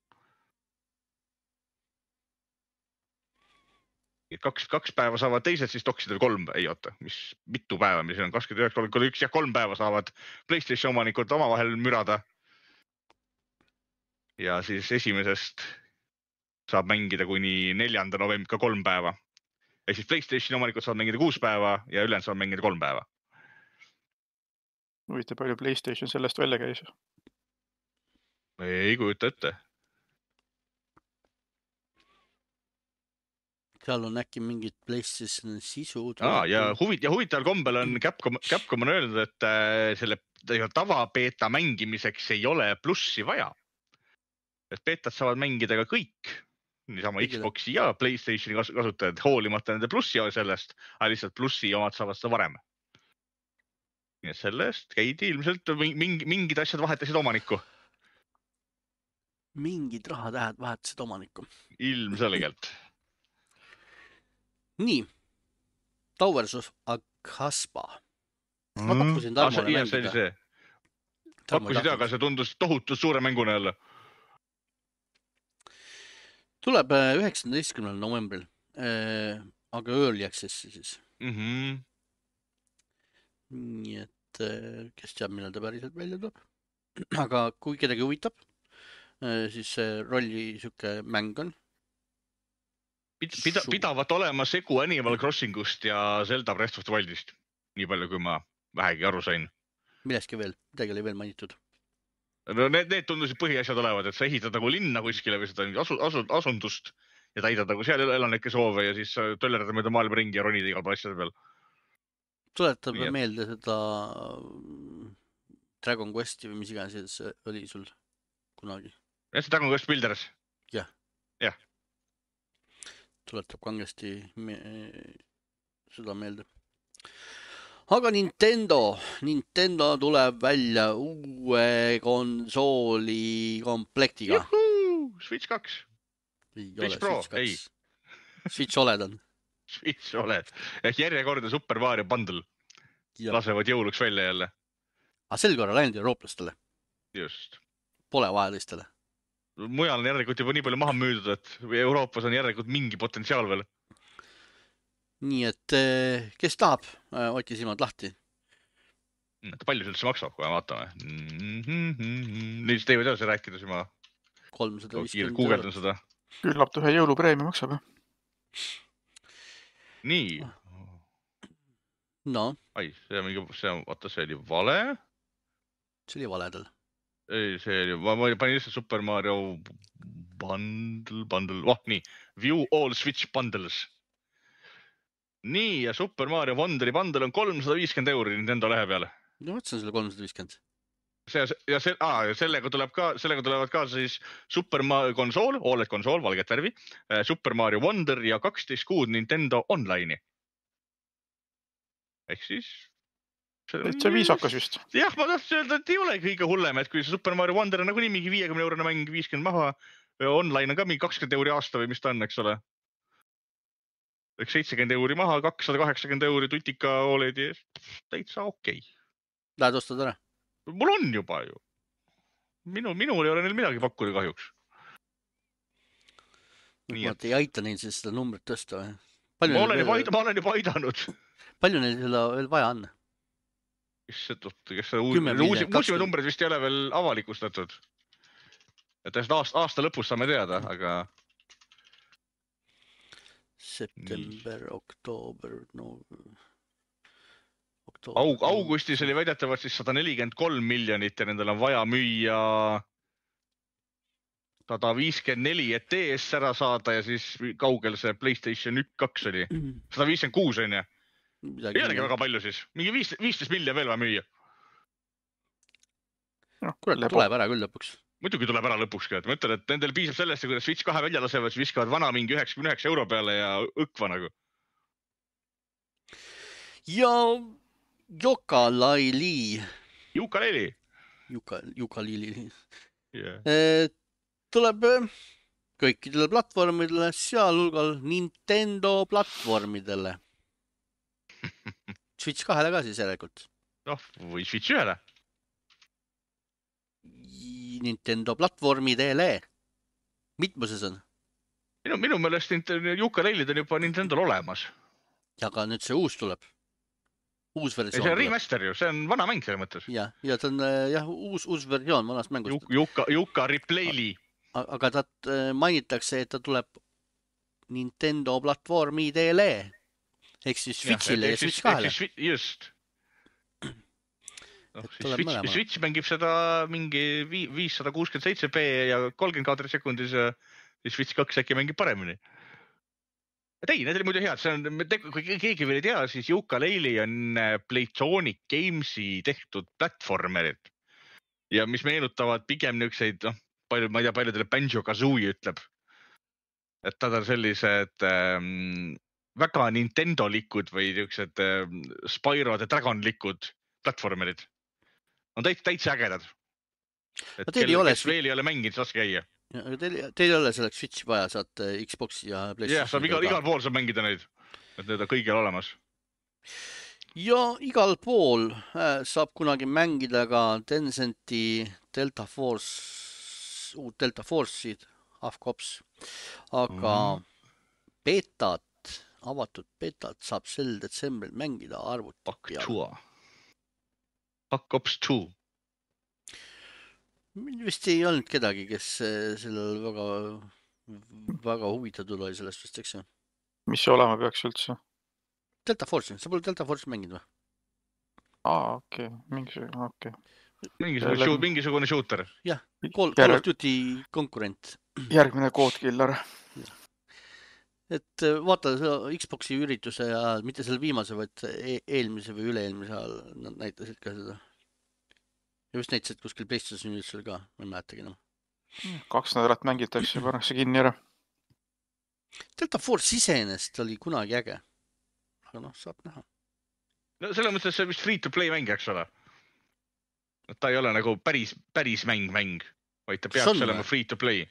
kaks, kaks päeva saavad teised, siis doksidel kolm, ei oota, mis mitu päeva, mis on kakskümmend üheksa, kolmkümmend üks ja kolm päeva saavad PlayStation omanikud omavahel mürada. Ja siis esimesest saab mängida kuni neljanda novembri ka kolm päeva. Ehk siis PlayStation omanikud saavad mängida kuus päeva ja ülejäänud saavad mängida kolm päeva. Huvitav, palju PlayStation sellest välja käis? Ei kujuta ette. Seal on äkki mingid PlayStation sisu. Aa, ja, huvit, ja huvitaval kombel on Capcom, Capcom on öelnud, et selle tavabeeta mängimiseks ei ole plussi vaja. Et beetad saavad mängida ka kõik, niisama Xboxi ja PlayStationi kasutajad, hoolimata nende plussi sellest, aga lihtsalt plussi omad saavad seda varem. Nii et sellest käidi ilmselt mingi, mingid asjad vahetasid omanikku. Mingid rahatähed vahetasid omanikku. Ilmselgelt. Nii, Towers of Aghasba. Ma pakkusin Tarmole mängida. See oli see. Pakkusid aga see tundus tohutu suure mänguna jälle. Tuleb üheksateistkümnendal novembril, aga early access'i siis. Mm-hmm. Nii et kes teab, millal ta päriselt välja tuleb. Aga kui kedagi huvitab, siis see rolli süke mäng on. Pida, pidavat olema segu Animal Crossingust ja Zelda Breath of the Wildist. Nii palju, kui ma vähegi aru sain. Milleski veel, midagi oli veel mainitud. No need, need tundusid põhiasjad olevad, et sa ehitad nagu linna kuskile või seda asu, asu, asundust ja täidad nagu seal elanike soove ja siis töllerad mööda maailma ringi ja ronid igal asjade peal. Tuletab Nii, meelde seda Dragon Questi või mis iganes oli sul kunagi? Ja see Dragon Quest Builders? Jah. Jah. Tuletab kangesti me seda meelde. Aga Nintendo, Nintendo tuleb välja uue konsooli komplektiga. Juhuu! Switch kaks. Ei Switch ole Pro, Switch kaks. ei. Switch OLED on. Switch OLED. Ehk järjekordne Super Mario bundle. Ja. Lasevad jõuluks välja jälle. Aga sel korral ainult eurooplastele. Just. Pole vahelistele. Mujal on järelikult juba nii palju maha müüdud, et Euroopas on järelikult mingi potentsiaal veel. Nii et kes tahab, hoidke silmad lahti. Palju see üldse maksab, kui me vaatame? Nüüd teevad edasi rääkida, siis ma kolmsada viiskümmend guugeldan seda. Küllap ühe jõulupreemia maksab. Nii. No. Ai, see on mingi, see on, vaata, see oli vale. See oli valedel. Ei, see oli, ma panin lihtsalt Super Mario bundle, bundle, oh nii, view all Switch bundles. Nii, ja Super Mario Wonderi bundle on kolmsada viiskümmend euri Nintendo lehe peale. No, võtsin selle kolmsada viiskümmend. See, ja, see, aa, ja sellega, tuleb ka, sellega tulevad ka siis Super Mario konsool, OLED konsool, valget värvi, Super Mario Wonder ja kaksteist kuud Nintendo Online'i. Ehk siis... See viisakas just. Jah, ma tahtsin öelda, et ei ole kõige hullem, et kui Super Mario Wonder on nagu nii mingi viiekümne eurone mäng, viiskümmend maha, online on ka mingi kakskümmend euri aasta või mis ta on, eks ole. Eks seitsekümmend euri maha, kakssada kaheksakümmend euri tutika OLED-i eest, täitsa okei. Okay. Lähed ostad ära? Mul on juba ju. Minu, minul ei ole neil midagi pakkuda kahjuks. Nii, et... ei aita neil siis seda numbrit tõsta või? Ma olen, veel... juba, ma olen juba aidanud. Palju neil seda veel vaja on? Kes see, kes see uusi, uusi numbrid vist ei ole veel avalikustatud. Et aasta, aasta lõpus saame teada, aga... September, oktoober, no... Oktoober, Aug, augustis oli väidetavalt siis sada nelikümmend kolm miljonit ja nendel on vaja müüa sada viiskümmend neli, et D S ära saada ja siis kaugel see PlayStation üks kaks oli. sada viiskümmend kuus on ju. Ei olegi väga palju siis. Mingi viisteist miljonit veel vaja müüa. No, kuule, tuleb ära küll lõpuks. Muidugi tuleb ära lõpuks ka. Ma ütlen, et nendel piisab sellest, kui Switch kahe välja lasevad, siis viskavad vana mingi üheksakümmend üheksa euro peale ja õkva nagu. Ja Yooka-Laylee. Yooka-Laylee. Yooka-Laylee. Yeah. Tuleb kõikidele platvormidele, sealhulgal Nintendo platvormidele. Switch kahele ka siis järelikult. noh, või Switch ühele. Nintendo platvormidele. Mitmuses on? Minu, minu meelest Yooka-Layle'id on juba Nintendo'l olemas. Ja aga nüüd see uus tuleb. Uus Ei, versioon see on tuleb. remaster ju, see on vana mäng selles mõttes. Ja, ja ta on jah, uus, uus versioon vanast mängust. Yooka, Yooka Replayli. Aga ta mainitakse, et ta tuleb Nintendo platvormidele. Ehk siis Switchile ja, ja Switch kahele. Just. No, siis Switch, Switch mängib seda mingi viissada kuuskümmend seitse p ja kolmkümmend kaadrit sekundis ja siis Switch kaks äkki mängib paremini. Et ei, need oli muidu head. See on, kui keegi veel ei tea, siis Yooka-Laylee on Playtonic Gamesi tehtud platformerid. Ja mis meenutavad pigem niukseid, noh, palju, ma ei tea, paljudele Banjo-Kazooie ütleb. Et tad on sellised ähm, väga Nintendo-likud või niuksed ähm, Spyro the Dragon-likud platformerid. On täitsa, täitsa ägedad. Et teil kell, ole... kes veel ei ole mänginud, saaks käia. Teil, teil ei ole selleks Switchi vaja, saad Xboxi ja PlayStation. Jah, saab igal, igal pool saab mängida neid. Et need on kõigil olemas. Ja igal pool saab kunagi mängida ka Tencenti Delta Force, uut Delta Force'id, Half Cops. Aga mm. betat, avatud betat saab sel detsembril mängida arvuti peal. Half Cops two. Vist ei olnud kedagi, kes sellel väga, väga huvitatud oli sellest vist, eks ju? Mis see olema peaks üldse? Delta Force, sa pole Delta Force mänginud või? Aa, okei, okay. mingisugune, okei. Okay. Mingisugune, Läbi... mingisugune shooter. Jah, Call, Call of Duty konkurent. Järgmine koodkiller. Et vaata Xboxi ürituse ajal, mitte selle viimase, vaid eelmise või üle-eelmise ajal nad näitasid ka seda. Ja vist näitasid kuskil PlayStation üldse ka, ma ei mäletagi enam. Kaks nädalat mängitakse ja pannakse kinni ära. Delta Force iseenest oli kunagi äge. Aga noh, saab näha. No selle mõttes see vist free-to-play mäng, eks ole. Ta ei ole nagu päris, päris mäng mäng, vaid ta peaks olema free-to-play.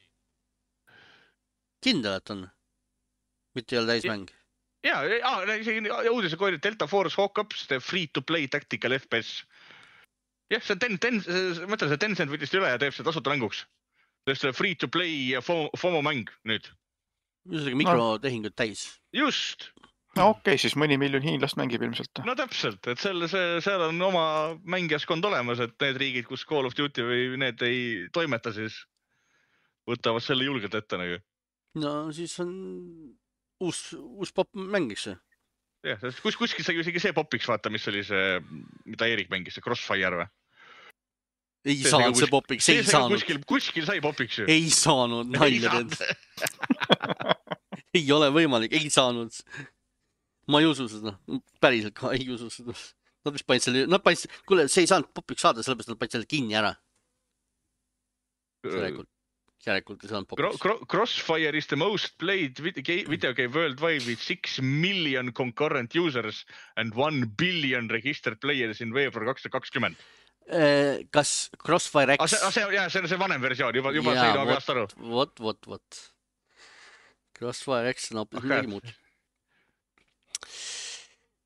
Kindel, et on? Mitte ei ole täis mäng? Jaa, ja, uudise kooli Delta Force Hawk-Ups, free-to-play tactical F P S. Jah, see ten, ten, mõtlen, see Tencent võttis üle ja teeb see tasuta mänguks. See on free-to-play ja FOMO, FOMO mäng nüüd. Jusega mikrotehingud täis. Just. No okei, okay, siis mõni miljon hiinlast mängib ilmselt. No täpselt, et selle, see, seal on oma mängijaskond olemas, et need riigid, kus Call of Duty või need ei toimeta, siis võtavad selle julgelt ette nagu. No siis on uus, uus pop mängiks see. Jah, kus, kuskil sai isegi see popiks vaata, mis oli see, mida Erik mängis, see Crossfire või? Ei see saanud see popiks, ei saanud. Kuskil, kuskil sai popiks ju. Ei saanud, nalja teed. Ei ole võimalik, ei saanud. Ma ei usu seda, päriselt ka ei usu seda. Nad vist panid selle, nad panid, kuule, see ei saanud popiks saada, sellepärast nad panid selle kinni ära. Järelikult. Järelikult ei saanud popiks. Crossfire is the most played video game worldwide with six million concurrent users and one billion registered players in veebruar kaks tuhat kakskümmend. Kas Crossfire X... Ah, see, jah, see on see vanem versioon, juba, juba ja, sai peast aru. Vot, vot, vot. Crossfire X on hoopis midagi muud.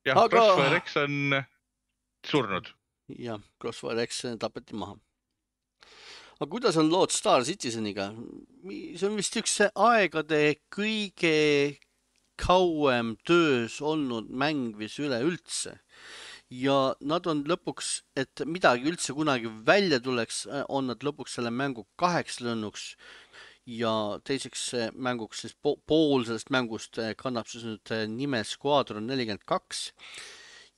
Jah, Aga... Crossfire X on surnud. Jah, Crossfire X tapeti maha. Aga kuidas on lood Star Citizeniga? See on vist üks aegade kõige kauem töös olnud mäng vis üle üldse. Ja nad on lõpuks, et midagi üldse kunagi välja tuleks, on nad lõpuks selle mängu kaheks lõnnuks ja teiseks mänguks siis pool sellest mängust kannab siis nüüd nime Squadron nelikümmend kaks.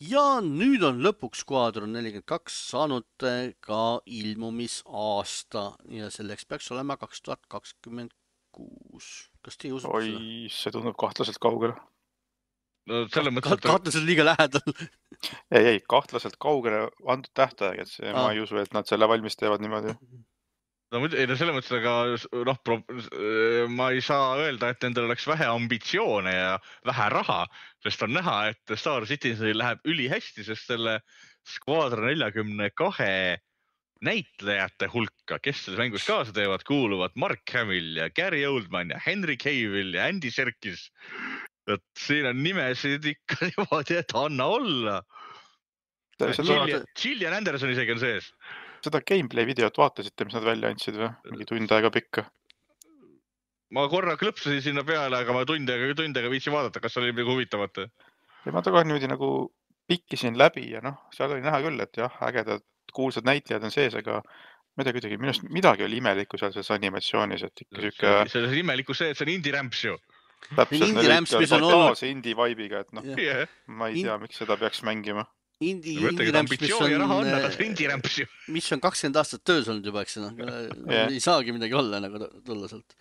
Ja nüüd on lõpuks Squadron nelikümmend kaks saanud ka ilmumisaasta ja selleks peaks olema kaks tuhat kakskümmend kuus. Kas te ei usu Oi, seda? See tundub kahtlaselt kaugele. No, selle mõttes, et... Kahtlaselt liiga lähedal. Ei, ei, kahtlaselt kaugele antud tähtaeg, et see, ah. ma ei usu, et nad selle valmis teevad niimoodi. No, ei, no selle mõttes, aga noh, pro, ma ei saa öelda, et nendel oleks vähe ambitsioone ja vähe raha, sest on näha, et Star Citizenil läheb üli hästi, sest selle Squadron nelikümmend kaks näitlejate hulka, kes selles mängus kaasa teevad, kuuluvad Mark Hamill ja Gary Oldman ja Henry Cavill ja Andy Serkis. Et siin on nimesid ikka niimoodi, et anna olla. Gillian, Gillian Anderson isegi on sees. Seda gameplay videot vaatasite, mis nad välja andsid või? Mingi tund aega pikka. ma korra klõpsasin sinna peale, aga ma tundega, tundega viitsin vaadata, kas oli midagi huvitavat. Ja ma taga niimoodi nagu pikkisin läbi ja noh, seal oli näha küll, et jah, ägedad kuulsad näitlejad on sees, aga midagi kuidagi, minust midagi oli imelikku seal selles animatsioonis, et ikka siuke... See on imelikku see, et see on indie rämps ju. Täpselt, need ikka totaalse indie vibe'iga, et noh, yeah. ma ei tea, miks seda peaks mängima. Indie, indie rämps, mis on, raha on, aga see indie rämps ju. Mis on kakskümmend aastat töös olnud juba, eks no, yeah. Ei saagi midagi olla nagu tulla sealt.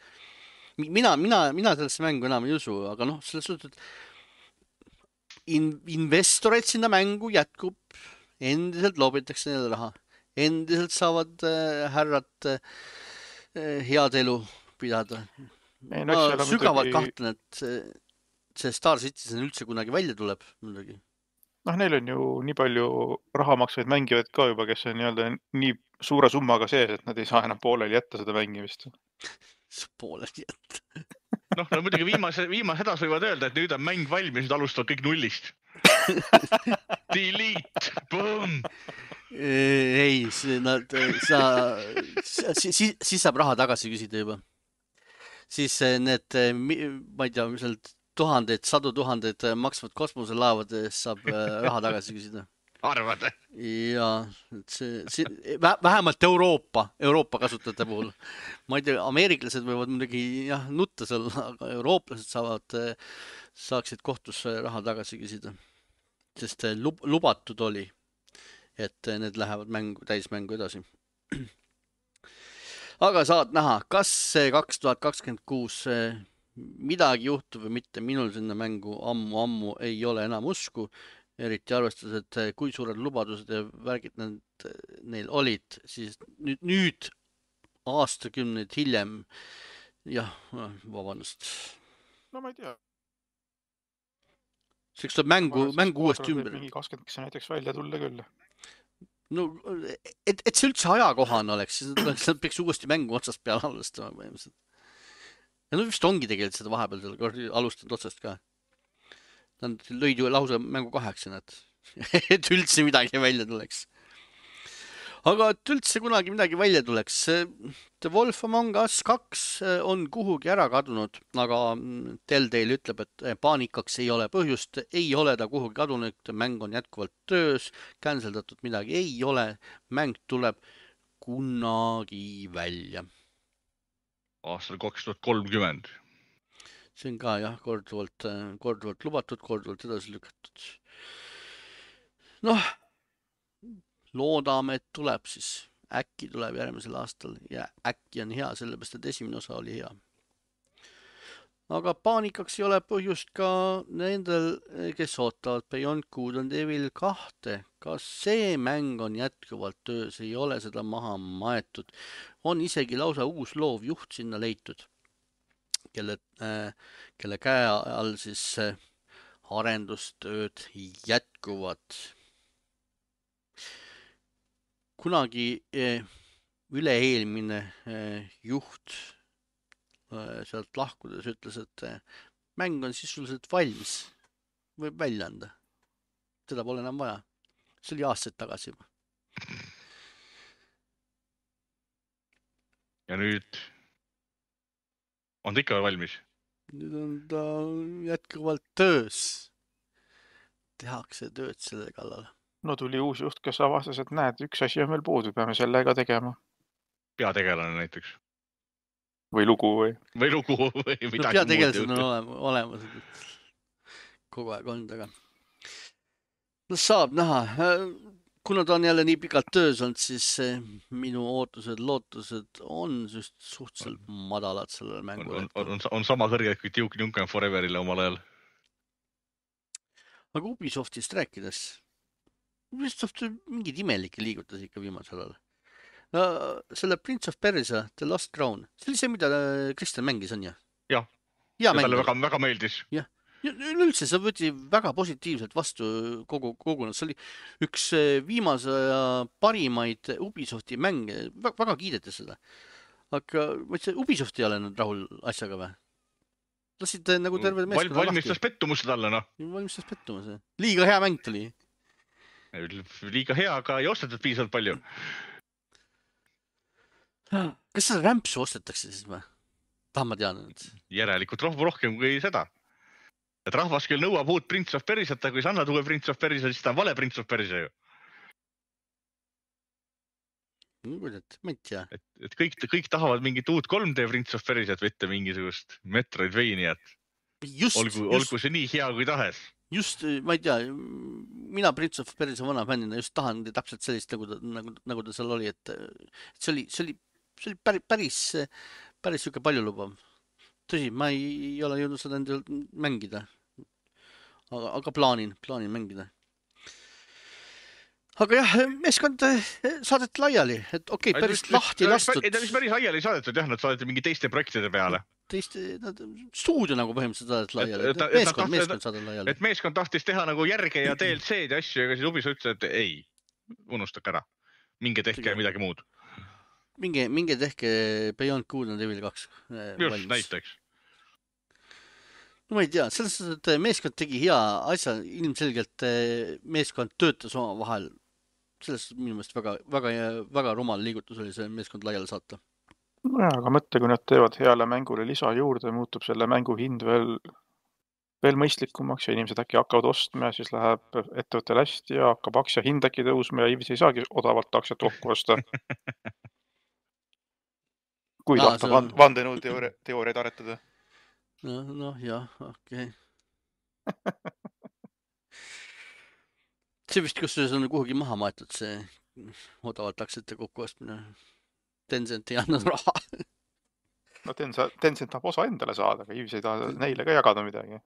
Mina, mina, mina sellesse mängu enam ei usu, aga noh, selles suhtes, et in, investoreid sinna mängu jätkub, endiselt loobitakse neile raha, endiselt saavad äh, härrad äh, head elu pidada. Ei, no, ma sügavalt muidugi... kahtlen, et see Star Citizen üldse kunagi välja tuleb muidugi. Noh, neil on ju nii palju rahamaksvaid mängivaid ka juba, kes on nii-öelda nii suure summaga sees, et nad ei saa enam pooleli jätta seda mängimist. Pooleli jätta. noh, no muidugi viimase, viimase hädas võivad öelda, et nüüd on mäng valmis, nüüd alustavad kõik nullist. Delete, boom! Ei, nad, sa, siis, siis saab raha tagasi küsida juba. Siis need, ma ei tea, mis need tuhanded, sadu tuhanded maksvad kosmoselaavad saab raha tagasi küsida. Arvad? Ja, see, see, vähemalt Euroopa, Euroopa kasutajate puhul. Ma ei tea, ameeriklased võivad muidugi jah, nutta seal, aga eurooplased saavad, saaksid kohtusse raha tagasi küsida. Sest lub, lubatud oli, et need lähevad mängu, täismängu edasi. Aga saad näha, kas see kaks tuhat kakskümmend kuus midagi juhtub või mitte, minul sinna mängu ammu-ammu ei ole enam usku, eriti arvestades, et kui suured lubadused ja värgid need, neil olid, siis nüüd, nüüd aastakümneid hiljem, jah, vabandust. No ma ei tea. Seks tuleb mängu, mängu uuesti ümber. Mingi kakskümmend, kes näiteks välja tulla küll. No, et, et see üldse ajakohane oleks, siis nad peaks uuesti mängu otsast peale alustama põhimõtteliselt. Ja no vist ongi tegelikult seda vahepeal seal alustanud otsast ka. Nad lõid ju lausa mängu kaheksa, et üldse midagi välja tuleks. Aga et üldse kunagi midagi välja tuleks. The Wolf Among Us kaks on kuhugi ära kadunud, aga Telltale ütleb, et paanikaks ei ole põhjust, ei ole ta kuhugi kadunud, mäng on jätkuvalt töös, canceldatud midagi ei ole, mäng tuleb kunagi välja. Aastal kaks tuhat kolmkümmend. See on ka jah, korduvalt, korduvalt lubatud, korduvalt edasi lükatud. Noh, loodame, et tuleb siis. Äkki tuleb järgmisel aastal ja äkki on hea, sellepärast, et esimene osa oli hea. Aga paanikaks ei ole põhjust ka nendel, kes ootavad Beyond Good and Evil kahte. Kas see mäng on jätkuvalt töös, ei ole seda maha maetud. On isegi lausa uus loovjuht sinna leitud, kelle, äh, kelle käe all siis äh, arendustööd jätkuvad. Kunagi äh, üle-eelmine äh, juht äh, sealt lahkudes ütles, et äh, mäng on sisuliselt valmis, võib välja anda. Seda pole enam vaja. See oli aastaid tagasi juba. Ja nüüd on ta ikka valmis? Nüüd on ta jätkuvalt töös. Tehakse tööd selle kallal. No tuli uus juht, kes avastas, et näed, üks asi on meil puudu, peame selle ka tegema. Peategelane näiteks. Või lugu või? Või lugu või midagi no, peategelased on olemas. Kogu aeg on taga. No saab näha. Kuna ta on jälle nii pikalt töös olnud, siis minu ootused, lootused on just suhteliselt madalad sellele mängule. On, on, on, on sama kõrge kui Duke Nukem Foreverile omal ajal. Aga Ubisoftist rääkides, Ubisoft mingid imelikke liigutas ikka viimasel ajal. No, selle Prince of Persia, The Lost Crown, see oli see, mida Kristjan mängis on, jah? Jah, ja talle väga, väga meeldis. Jah, ja üldse see võeti väga positiivselt vastu kogu, kogu, see oli üks viimase parimaid Ubisofti mänge, väga kiidetes seda. Aga Ubisoft ei ole nüüd rahul asjaga või? Lasid nagu terve meeskonna lahti. Valmistas pettumuse talle, noh. Valmistas pettumuse. Liiga hea mäng tuli. Liiga hea, aga ei ostetud piisavalt palju. Kas seda rämpsu ostetakse siis või? Ah, ma tean. Järelikult rohkem, rohkem kui seda. Et rahvas küll nõuab uut Prince of Persiat, aga kui sa annad uue Prince of Persia, siis ta on vale Prince of Persia ju. Ma ei tea. Et, et kõik, kõik tahavad mingit uut kolm D Prince of Persiat, mitte mingisugust Metroidvaniat. Just, olgu, just, olgu see nii hea kui tahes. Just, ma ei tea, mina Prince of Persia vana fännina just tahan täpselt sellist, nagu ta, nagu, nagu ta seal oli, et, et see oli, see oli, see oli päris, päris, päris siuke palju lubav. Tõsi, ma ei, ei ole jõudnud seda endal mängida. Aga, aga plaanin, plaanin mängida. Aga jah, meeskond saadeti laiali, et okei, okay, päris lahti lastud. Ei, ta vist päris laiali saadetud, jah, nad saadeti mingi teiste projektide peale. Teiste, nad, stuudio nagu põhimõtteliselt saadeti laiali, et, et meeskond, meeskond saadeti laiali. Et meeskond tahtis teha nagu järge ja D L C-d ja asju, ja siis Ubis ütles, et ei, unustak ära. Minge tehke midagi muud. Minge, minge tehke Beyond Good and Evil kaks. Just, näiteks. No ma ei tea, selles suhtes, et meeskond tegi hea asja, ilmselgelt meeskond töötas oma vahel. Selles minu meelest väga, väga, väga rumal liigutus oli see meeskond laiali saata. Ja, aga mõtle, kui nad teevad heale mängule lisa juurde, muutub selle mängu hind veel, veel mõistlikumaks ja inimesed äkki hakkavad ostma ja siis läheb ettevõttel hästi ja hakkab aktsia hind äkki tõusma ja Ivis ei saagi odavalt aktsiat kokku osta. Kui Aa, tahta see- vand- vandenõu teoori- teooriaid aretada. No, no jah, okei. See vist kusjuures on kuhugi maha maetud see odavalt aktsiate kokku ostmine. Tencent ei andnud raha. No Tencent, Tencent tahab osa endale saada, aga Ivis ei taha neile ka jagada midagi.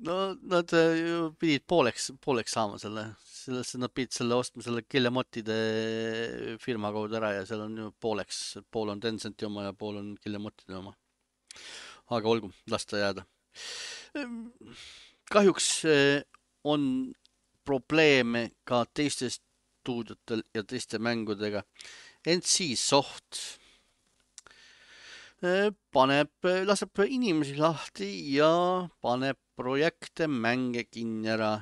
No nad äh, ju pidid pooleks, pooleks saama selle, sellesse nad pidid selle ostma selle Guillemotide firma kaudu ära ja seal on ju pooleks, pool on Tencenti oma ja pool on Guillemotide oma. Aga olgu, las ta jääda. Kahjuks äh, on probleeme ka teiste stuudiotel ja teiste mängudega. N C Soft äh, paneb, laseb inimesi lahti ja paneb projekte, mänge kinni ära.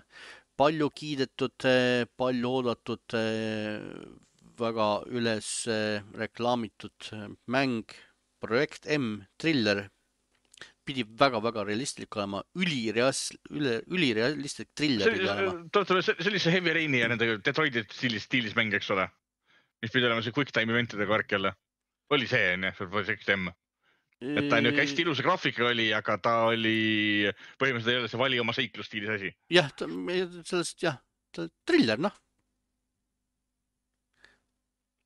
Palju kiidetud, palju oodatud, väga üles reklaamitud mäng, projekt M, Thriller, pidi väga-väga realistlik olema, ülireas, üle, ülirealistlik thriller pidi olema. Sellise Heavy Raini ja nende Detroiti stiilis, stiilis mäng, eks ole. Mis pidi olema see quick time eventidega värk jälle. Oli see, enne, see projekt M. Et ta on ju hästi ilusa graafika oli, aga ta oli põhimõtteliselt ei ole see vali oma seiklustiilis asi. Jah, ta, sellest, jah, ta thriller, noh.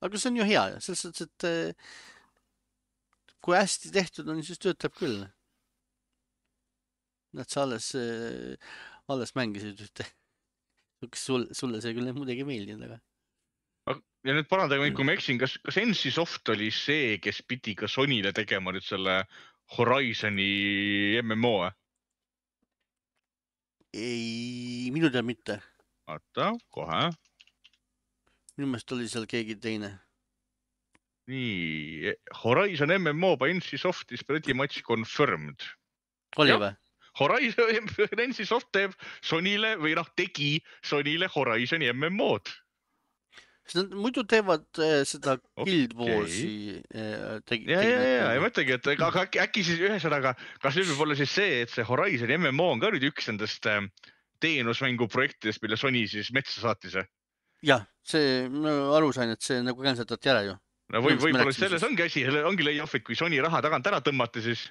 Aga see on ju hea, selles suhtes, et kui hästi tehtud on, siis töötab küll. Nad sa alles, alles mängisid ühte. Sul, sulle see küll muidugi meeldinud, aga... Ja nüüd parandage, kui ma eksin, kas, kas N C Soft oli see, kes pidi ka Sonyle tegema nüüd selle Horizoni M M O? Ei, minu tead mitte. Vaata, kohe. Minu meelest oli seal keegi teine. Nii, Horizon M M O by N C Soft is pretty much confirmed. Oli või? Horizon, N C Soft teeb Sonyle või noh, tegi Sonyle Horizoni M M O-d. Nad muidu teevad äh, seda Guild Warsi äh, tegi. Ja, ja, ja, ja mõtlegi, et aga äkki, äkki siis ühesõnaga, kas nüüd võib olla siis see, et see Horizoni M M O on ka nüüd üks nendest äh, teenusmängu projektidest, mille Sony siis metsa saatis? Jah, see, ma aru sain, et see nagu känsatati ära ju. No või, võib-olla selles ongi asi, ongi layoff, et kui Sony raha tagant ära tõmmati, siis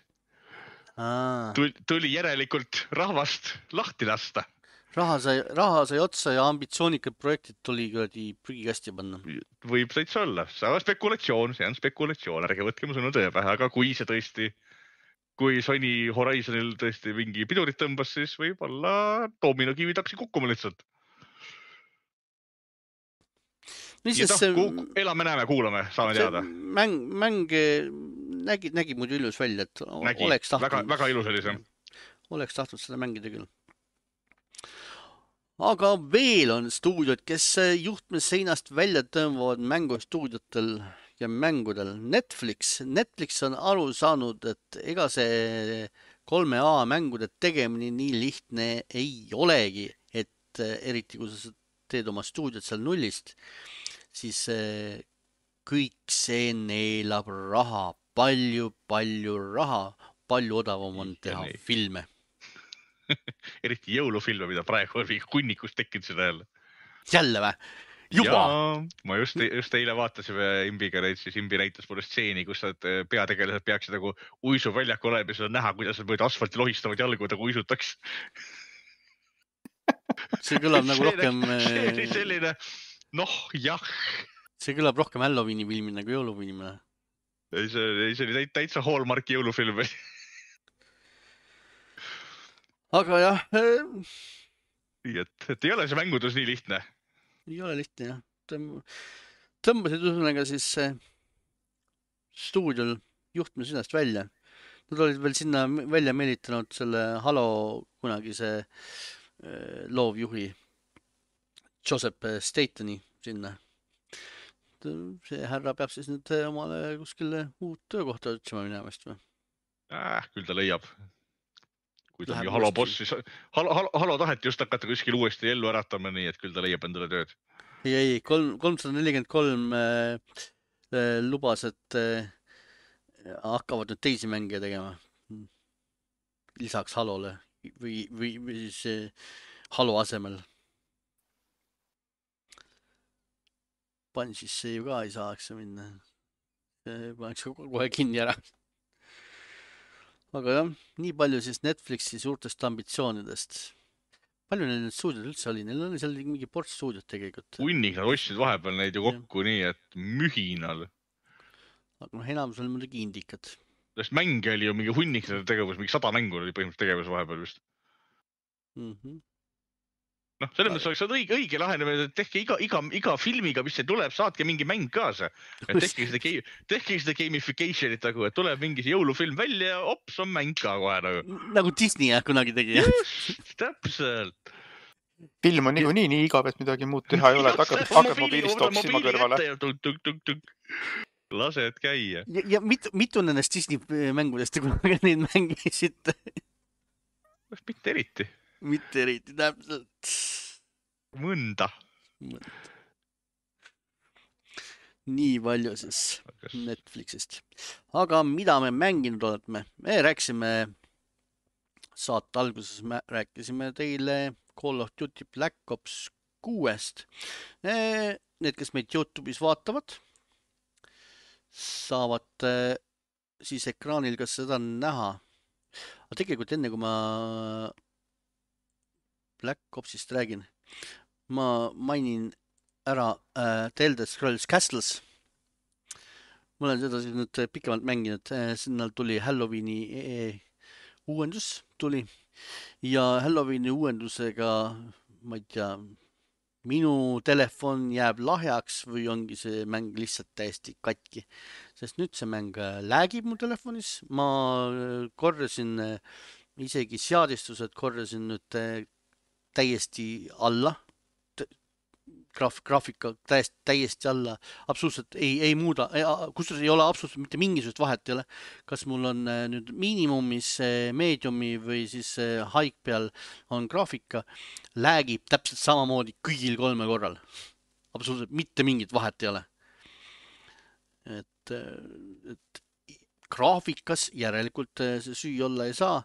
Aa. tuli järelikult rahvast lahti lasta. Raha sai, raha sai otsa ja ambitsioonikad projektid tuli kuradi prügikasti panna. Võib täitsa olla. See on spekulatsioon, see on spekulatsioon. Ärge võtke mu sõnu tõe pähe, aga kui see tõesti, kui Sony Horizonil tõesti mingi pidurit tõmbas, siis võib-olla dominokivid hakkasid kukkuma lihtsalt. Ja ta, see, elame, näeme, kuulame, saame teada. Mäng, mäng nägi, nägi muidu ilus välja, et nägi, oleks tahtnud. Väga, väga ilus oli see. Oleks tahtnud seda mängida küll. Aga veel on stuudiod, kes juhtmes seinast välja tõmbavad mängustuudiotel ja mängudel. Netflix. Netflix on aru saanud, et ega see kolme A mängude tegemine nii lihtne ei olegi, et eriti kui sa teed oma stuudiot seal nullist, siis kõik see neelab raha palju, palju raha, palju odavam on Ja teha nii. filme. Eriti jõulufilme, mida praegu on mingi hunnikust tekkinud seda jälle. Jälle vä? Juba? Jaa, ma just, just eile vaatasime Imbiga neid, siis Imbi näitas mulle stseeni, kus nad peategelased peaksid nagu uisuväljaku olema ja seal on näha, kuidas nad mööda asfalti lohistavad jalgu, nagu uisutaks. See kõlab nagu See rohkem... See oli selline, noh, jah. See kõlab rohkem Halloweeni filmina kui jõulufilmina. Ei, see, see oli täitsa Hallmarki jõulufilm. Aga jah... Nii, et, et ei ole see mängudus nii lihtne. Ei ole lihtne, jah. Tõmbasid ühesõnaga siis stuudiol juhtme sinast välja. Nad olid veel sinna välja meelitanud selle Halo kunagise loovjuhi Joseph Statoni sinna. See härra peab siis nüüd omale kuskile uut töökohta otsima minemast või? Äh, küll ta leiab. Kui ta on ju Halo boss, siis Halo, Halo, Halo taheti just hakata kuskil uuesti ellu äratama, nii et küll ta leiab endale tööd. Ei, ei, kolmsada nelikümmend kolm äh, äh, lubas, et äh, hakkavad nüüd teisi mänge tegema. Lisaks Halole või, või, või siis äh, Halo asemel. Pan siis see ju ka ei saaks minna. Paneks kohe kinni ära. Aga jah, nii palju siis Netflixi suurtest ambitsioonidest. Palju neil nüüd stuudiod üldse oli? Neil oli seal mingi ports stuudiot tegelikult. Unnik nad ostsid vahepeal neid ju kokku ja. Nii, et mühinal. Aga noh, enamus oli muidugi indikad. Sest mänge oli ju mingi hunnik tegevus, mingi sada mängu oli põhimõtteliselt tegevus vahepeal vist. Mm-hmm. Noh, selles mõttes oleks õige, õige lahenemine, et tehke iga, iga, iga filmiga, mis see tuleb, saatke mingi mäng kaasa. Tehke seda, tehke seda gamificationit, nagu, et tuleb mingi jõulufilm välja ja ops, on mäng ka kohe. Nagu, nagu Disney jah, kunagi tegi. Just, täpselt. Film on niikuinii nii igav, et midagi muud teha ei ole. Hakkad, hakkad mobiilist oksima kõrvale. Tuk, tuk, tuk, tuk. Lased käia. Ja, ja mitu, mitu nendest Disney mängudest kunagi neid mängisid? Mitte eriti. Mitte eriti, täpselt. Mõnda. Mõnda. Nii palju siis Netflixist. Aga mida me mänginud oleme? Me rääkisime saate alguses, me rääkisime teile Call of Duty Black Ops kuuest. Need, kes meid YouTube'is vaatavad, saavad siis ekraanil kas seda näha. Aga tegelikult enne, kui ma Black Opsist räägin, ma mainin ära äh, The Elder Scrolls Castles. Ma olen seda siis nüüd pikemalt mänginud. Sinna tuli Halloweeni uuendus tuli ja Halloweeni uuendusega, ma ei tea, minu telefon jääb lahjaks või ongi see mäng lihtsalt täiesti katki. Sest nüüd see mäng läägib mu telefonis. Ma korrasin isegi seadistused, korrasin nüüd täiesti alla, Graaf, graafika täiesti, täiesti alla, absoluutselt ei, ei muuda, kustus ei ole absoluutselt mitte mingisugust vahet ei ole, kas mul on nüüd miinimumis, mediumi või siis high peal on graafika, läägib täpselt samamoodi kõigil kolme korral. Absoluutselt mitte mingit vahet ei ole. Et, et graafikas järelikult see süü olla ei saa.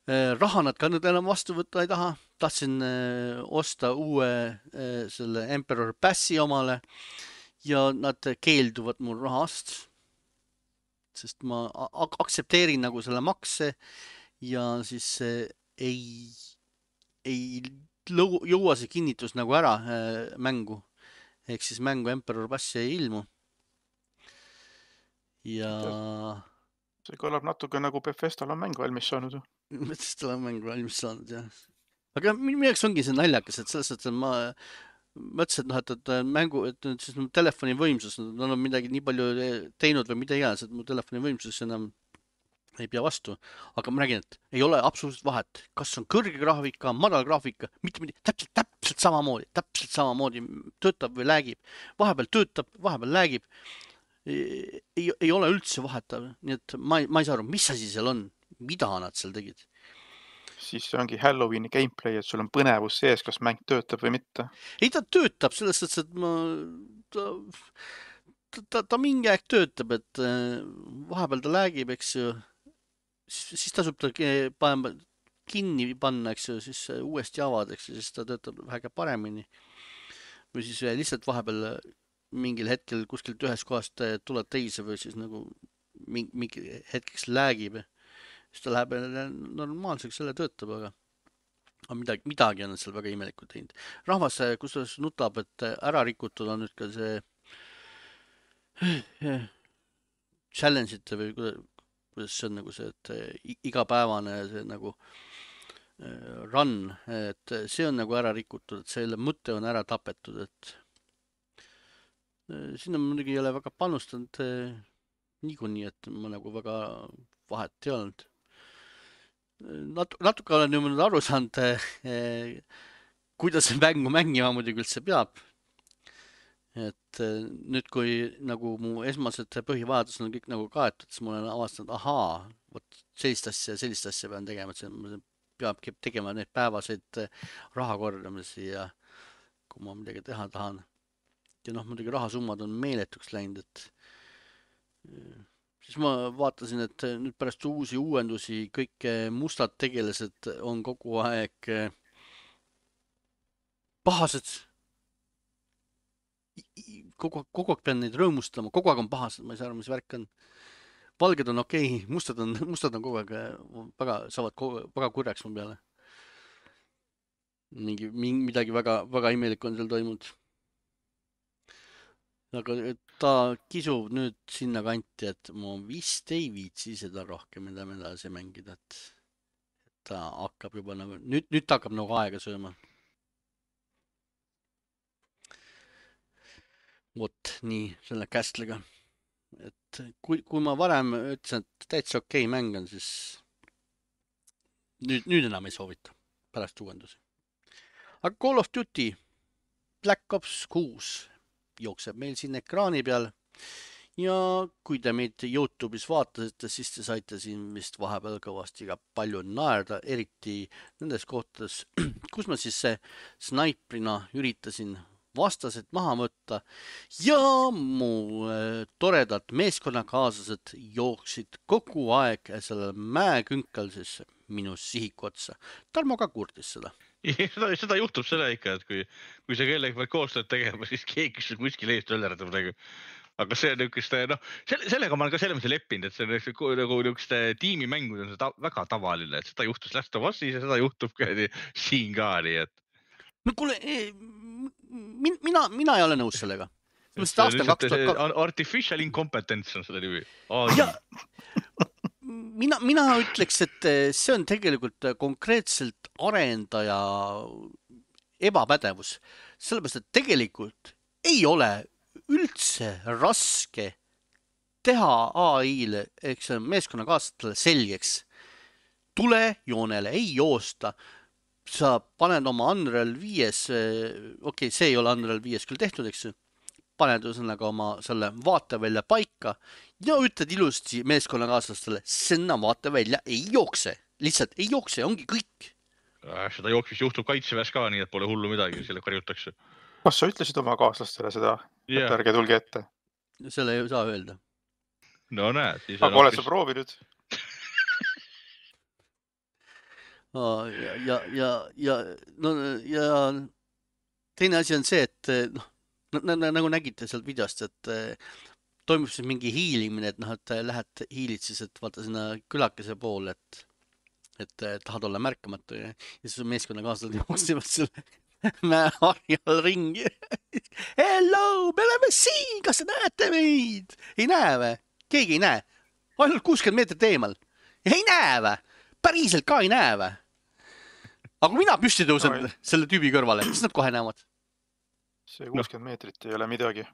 Raha nad ka nüüd enam vastu võtta ei taha. Tahtsin osta uue selle Emperor Passi omale ja nad keelduvad mul rahast, sest ma aktsepteerin nagu selle makse ja siis ei, ei jõua see kinnitus nagu ära mängu. Ehk siis mängu Emperor Passi ei ilmu. Ja... See kõlab natuke nagu Bethesdal on mäng valmis saanud. Bethesdal on mäng valmis saanud, jah. Aga minu jaoks ongi see naljakas, et selles mõttes, et ma mõtlesin, et, noh, et, et mängu, et nüüd siis mu telefoni võimsus, nad on midagi nii palju teinud või mida iganes, et mu telefoni võimsus enam ei pea vastu. Aga ma räägin, et ei ole absoluutselt vahet, kas on kõrge graafika, madal graafika, mitte midagi, täpselt, täpselt samamoodi, täpselt samamoodi töötab või läägib. Vahepeal töötab, vahepeal läägib. Ei, ei ole üldse vahetav, nii et ma ei, ma ei saa aru, mis asi seal on, mida nad seal tegid. Siis see ongi Halloweeni gameplay, et sul on põnevus sees, kas mäng töötab või mitte. Ei, ta töötab, selles mõttes, et ma, ta, ta, ta mingi aeg töötab, et vahepeal ta läägib, eks ju, siis, siis tasub ta panema, kinni panna, eks ju, siis uuesti avada, eks ju, siis ta töötab väga paremini. Või siis lihtsalt vahepeal mingil hetkel kuskilt ühest kohast tuleb teise või siis nagu mingi, mingi hetkeks läägib. Siis ta läheb normaalseks, selle töötab, aga aga midagi, midagi on seal väga imelikult teinud. Rahvas, kusjuures nutab, et ära rikutud on nüüd ka see challenge'ite või kuidas see on nagu see, et igapäevane see nagu run, et see on nagu ära rikutud, et selle mõte on ära tapetud, et sinna muidugi ei ole väga panustanud niikuinii, et ma nagu väga vahet ei olnud. Natu, natuke olen nüüd aru saanud, eh, kuidas see mängu mängima muidugi üldse peab. Et eh, nüüd, kui nagu mu esmased põhivajadused on kõik nagu kaetud, siis ma olen avastanud, ahaa, võt sellist asja ja sellist asja pean tegema, et see peabki tegema neid päevaseid raha kordamisi ja kui ma midagi teha tahan. Ja noh, muidugi rahasummad on meeletuks läinud, et eh, siis ma vaatasin, et nüüd pärast uusi uuendusi kõik mustad tegelased on kogu aeg pahased. Kogu, kogu aeg pean neid rõõmustama, kogu aeg on pahased, ma ei saa aru, mis värk on. Valged on okei, okay, mustad on, mustad on kogu aeg väga, saavad kogu, väga kurjaks mu peale. Mingi, midagi väga, väga imelik on seal toimunud. Aga ta kisub nüüd sinna kanti, et ma vist ei viitsi seda rohkem, mida me edasi mängida, et ta hakkab juba nagu, nüüd, nüüd ta hakkab nagu aega sööma. Vot nii selle Castle'iga. Et kui, kui ma varem ütlesin, et täitsa okei mäng on, siis nüüd, nüüd enam ei soovita pärast uuendusi. Aga Call of Duty Black Ops kuus jookseb meil siin ekraani peal ja kui te meid YouTube'is vaatasite, siis te saite siin vist vahepeal kõvasti ka palju naerda, eriti nendes kohtades, kus ma siis snaiprina üritasin vastased maha võtta ja mu toredad meeskonnakaaslased jooksid kogu aeg sellel mäekünkal siis minu sihiku otsa. Tarmo ka kurtis seda. Seda, seda juhtub selle ikka, et kui, kui sa kellegi peal koostööd tegema, siis keegi kuskil eest öllerdab nagu. Aga see on niisugust, noh, selle, sellega ma olen ka selle mõttes leppinud, et see on nagu niisugust tiimimängud on see ta, väga tavaline, et seda juhtus Last of Usis ja seda juhtub ka siin ka nii, et no kuule, min, mina, mina ei ole nõus sellega. Artificial incompetence on seda nimi. Ja, mina, mina ütleks, et see on tegelikult konkreetselt arendaja ebapädevus. Sellepärast, et tegelikult ei ole üldse raske teha A I-le, eks meeskonnakaaslastele selgeks. Tule joonele, ei joosta. Sa paned oma Unreal viies, okei, okay, see ei ole Unreal viies küll tehtud, eks paned ühesõnaga oma selle vaatevälja paika ja ütled ilusti meeskonnakaaslastele, sinna vaatevälja ei jookse, lihtsalt ei jookse, ongi kõik. Seda jooksmist juhtub kaitseväes ka, nii et pole hullu midagi, selle karjutakse. Kas sa ütlesid oma kaaslastele seda, yeah. Et ärge tulge ette? Selle ei saa öelda. No näed. Aga oled sa proovinud? Ja, ja, ja, ja, no, ja teine asi on see, et noh, nagu nägite sealt videost, et toimub siis mingi hiilimine, et noh, et lähed hiilid siis, et vaata sinna külakese poole, et, et tahad olla märkamatu ja, ja siis meeskonnakaaslased jooksivad selle mäeharjal ringi. Hello, me oleme siin, kas te näete meid? Ei näe või? Keegi ei näe. Ainult kuuskümmend meetrit eemal. Ei näe või? Päriselt ka ei näe või? Aga kui mina püsti tõusen no, selle tüübi kõrvale, siis nad kohe näevad. See kuuskümmend meetrit ei ole midagi.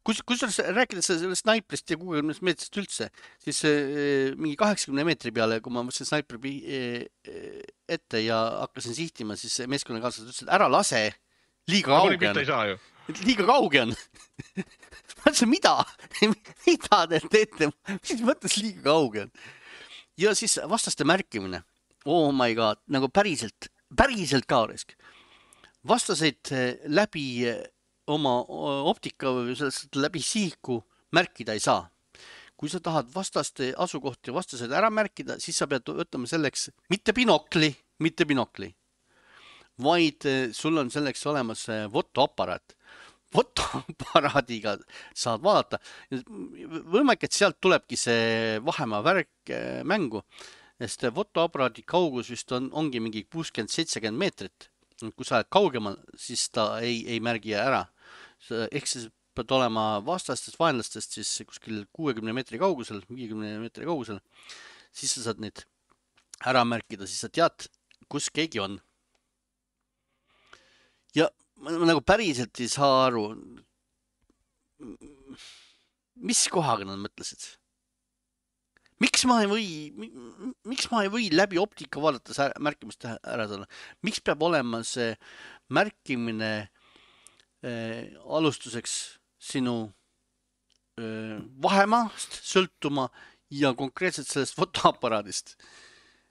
Kus, kus rääkides sellest snaiprist ja kuuekümnest meetrist üldse, siis äh, mingi kaheksakümne meetri peale, kui ma mõtlesin snaipri äh, ette ja hakkasin sihtima, siis meeskonnakaaslased ütlesid, ära lase, liiga kauge on. Liiga kauge on. Ma ütlesin, mida? Mida te teete? Mis mõttes liiga kauge on? Ja siis vastaste märkimine. Oh my god, nagu päriselt, päriselt ka risk. Vastaseid läbi oma optika või sellest läbi sihiku märkida ei saa. Kui sa tahad vastaste asukohti ja vastased ära märkida, siis sa pead võtma selleks mitte binokli, mitte binokli, vaid sul on selleks olemas fotoaparaat. Fotoaparaadiga saad vaadata. Võimalik, et sealt tulebki see vahemaa värk mängu, sest fotoaparaadi kaugus vist on, ongi mingi kuuskümmend seitsekümmend meetrit. Kui sa oled kaugemal, siis ta ei, ei märgi ära. Ehk siis pead olema vastastest vaenlastest siis kuskil kuuekümne meetri kaugusel, viiekümne meetri kaugusel, siis sa saad neid ära märkida, siis sa tead, kus keegi on. Ja ma nagu päriselt ei saa aru, mis kohaga nad mõtlesid? Miks ma ei või, miks ma ei või läbi optika vaadates märkimist ära saada? Miks peab olema see märkimine äh, alustuseks sinu äh, vahemaast sõltuma ja konkreetselt sellest fotoaparaadist?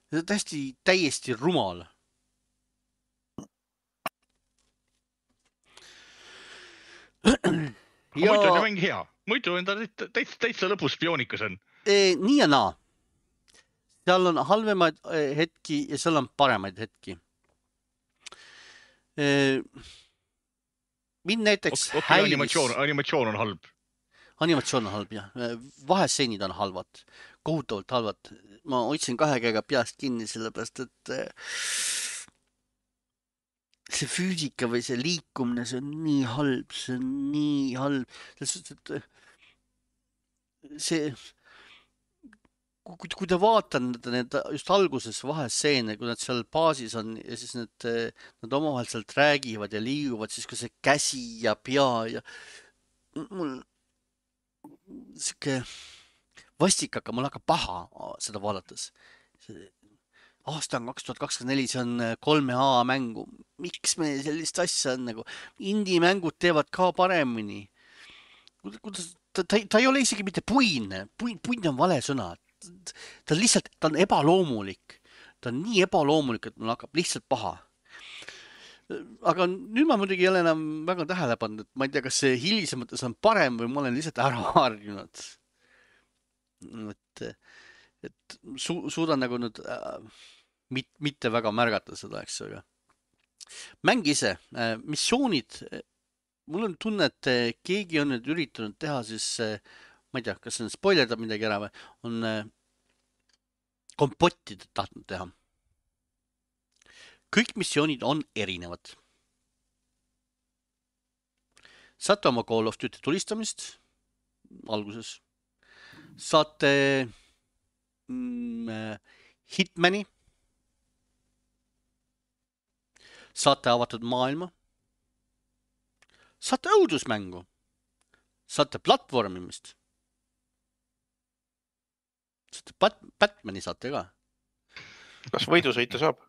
See on täiesti, täiesti rumal. Ja... muidu on ju mingi hea. Muidu on ta täitsa, täitsa lõpus spioonikas on. E, nii ja naa. Seal on halvemaid hetki ja seal on paremaid hetki. E, mind näiteks okay, häiris... Animatsioon, animatsioon on halb. Animatsioon on halb, jah. Vahestseenid on halvad. Kohutavalt halvad. Ma hoidsin kahe käega peast kinni, sellepärast, et see füüsika või see liikumine, see on nii halb, see on nii halb. See, kui, kui te vaatan need just alguses vahestseene, kui nad seal baasis on ja siis need, nad omavahel sealt räägivad ja liiguvad, siis kui see käsi ja pea ja mul siuke vastik hakkab, mul hakkab paha seda vaadates. Aasta on kaks tuhat kakskümmend neli, see on kolme A mängu. Miks me sellist asja on nagu? Indie-mängud teevad ka paremini. Kuidas, ta, ta, ta ei ole isegi mitte puine. Puin, puin on vale sõna. Ta lihtsalt, ta on ebaloomulik. Ta on nii ebaloomulik, et mul hakkab lihtsalt paha. Aga nüüd ma muidugi ei ole enam väga tähele pannud, et ma ei tea, kas see hilisemates on parem või ma olen lihtsalt ära harjunud. Et, et su, suudan nagu nüüd äh, mit, mitte väga märgata seda, eks, aga mäng ise, äh, missioonid, mul on tunne, et keegi on nüüd üritanud teha siis, äh, ma ei tea, kas on spoilerdab midagi ära või, on äh, kompottid tahtnud teha. Kõik missioonid on erinevad. Saate oma Call of Duty tulistamist alguses. Saate mm, Hitmani. Saate avatud maailma. Saate õudusmängu. Saate platvormimist. Saate Bat Batmani saate ka. Kas võidusõita saab?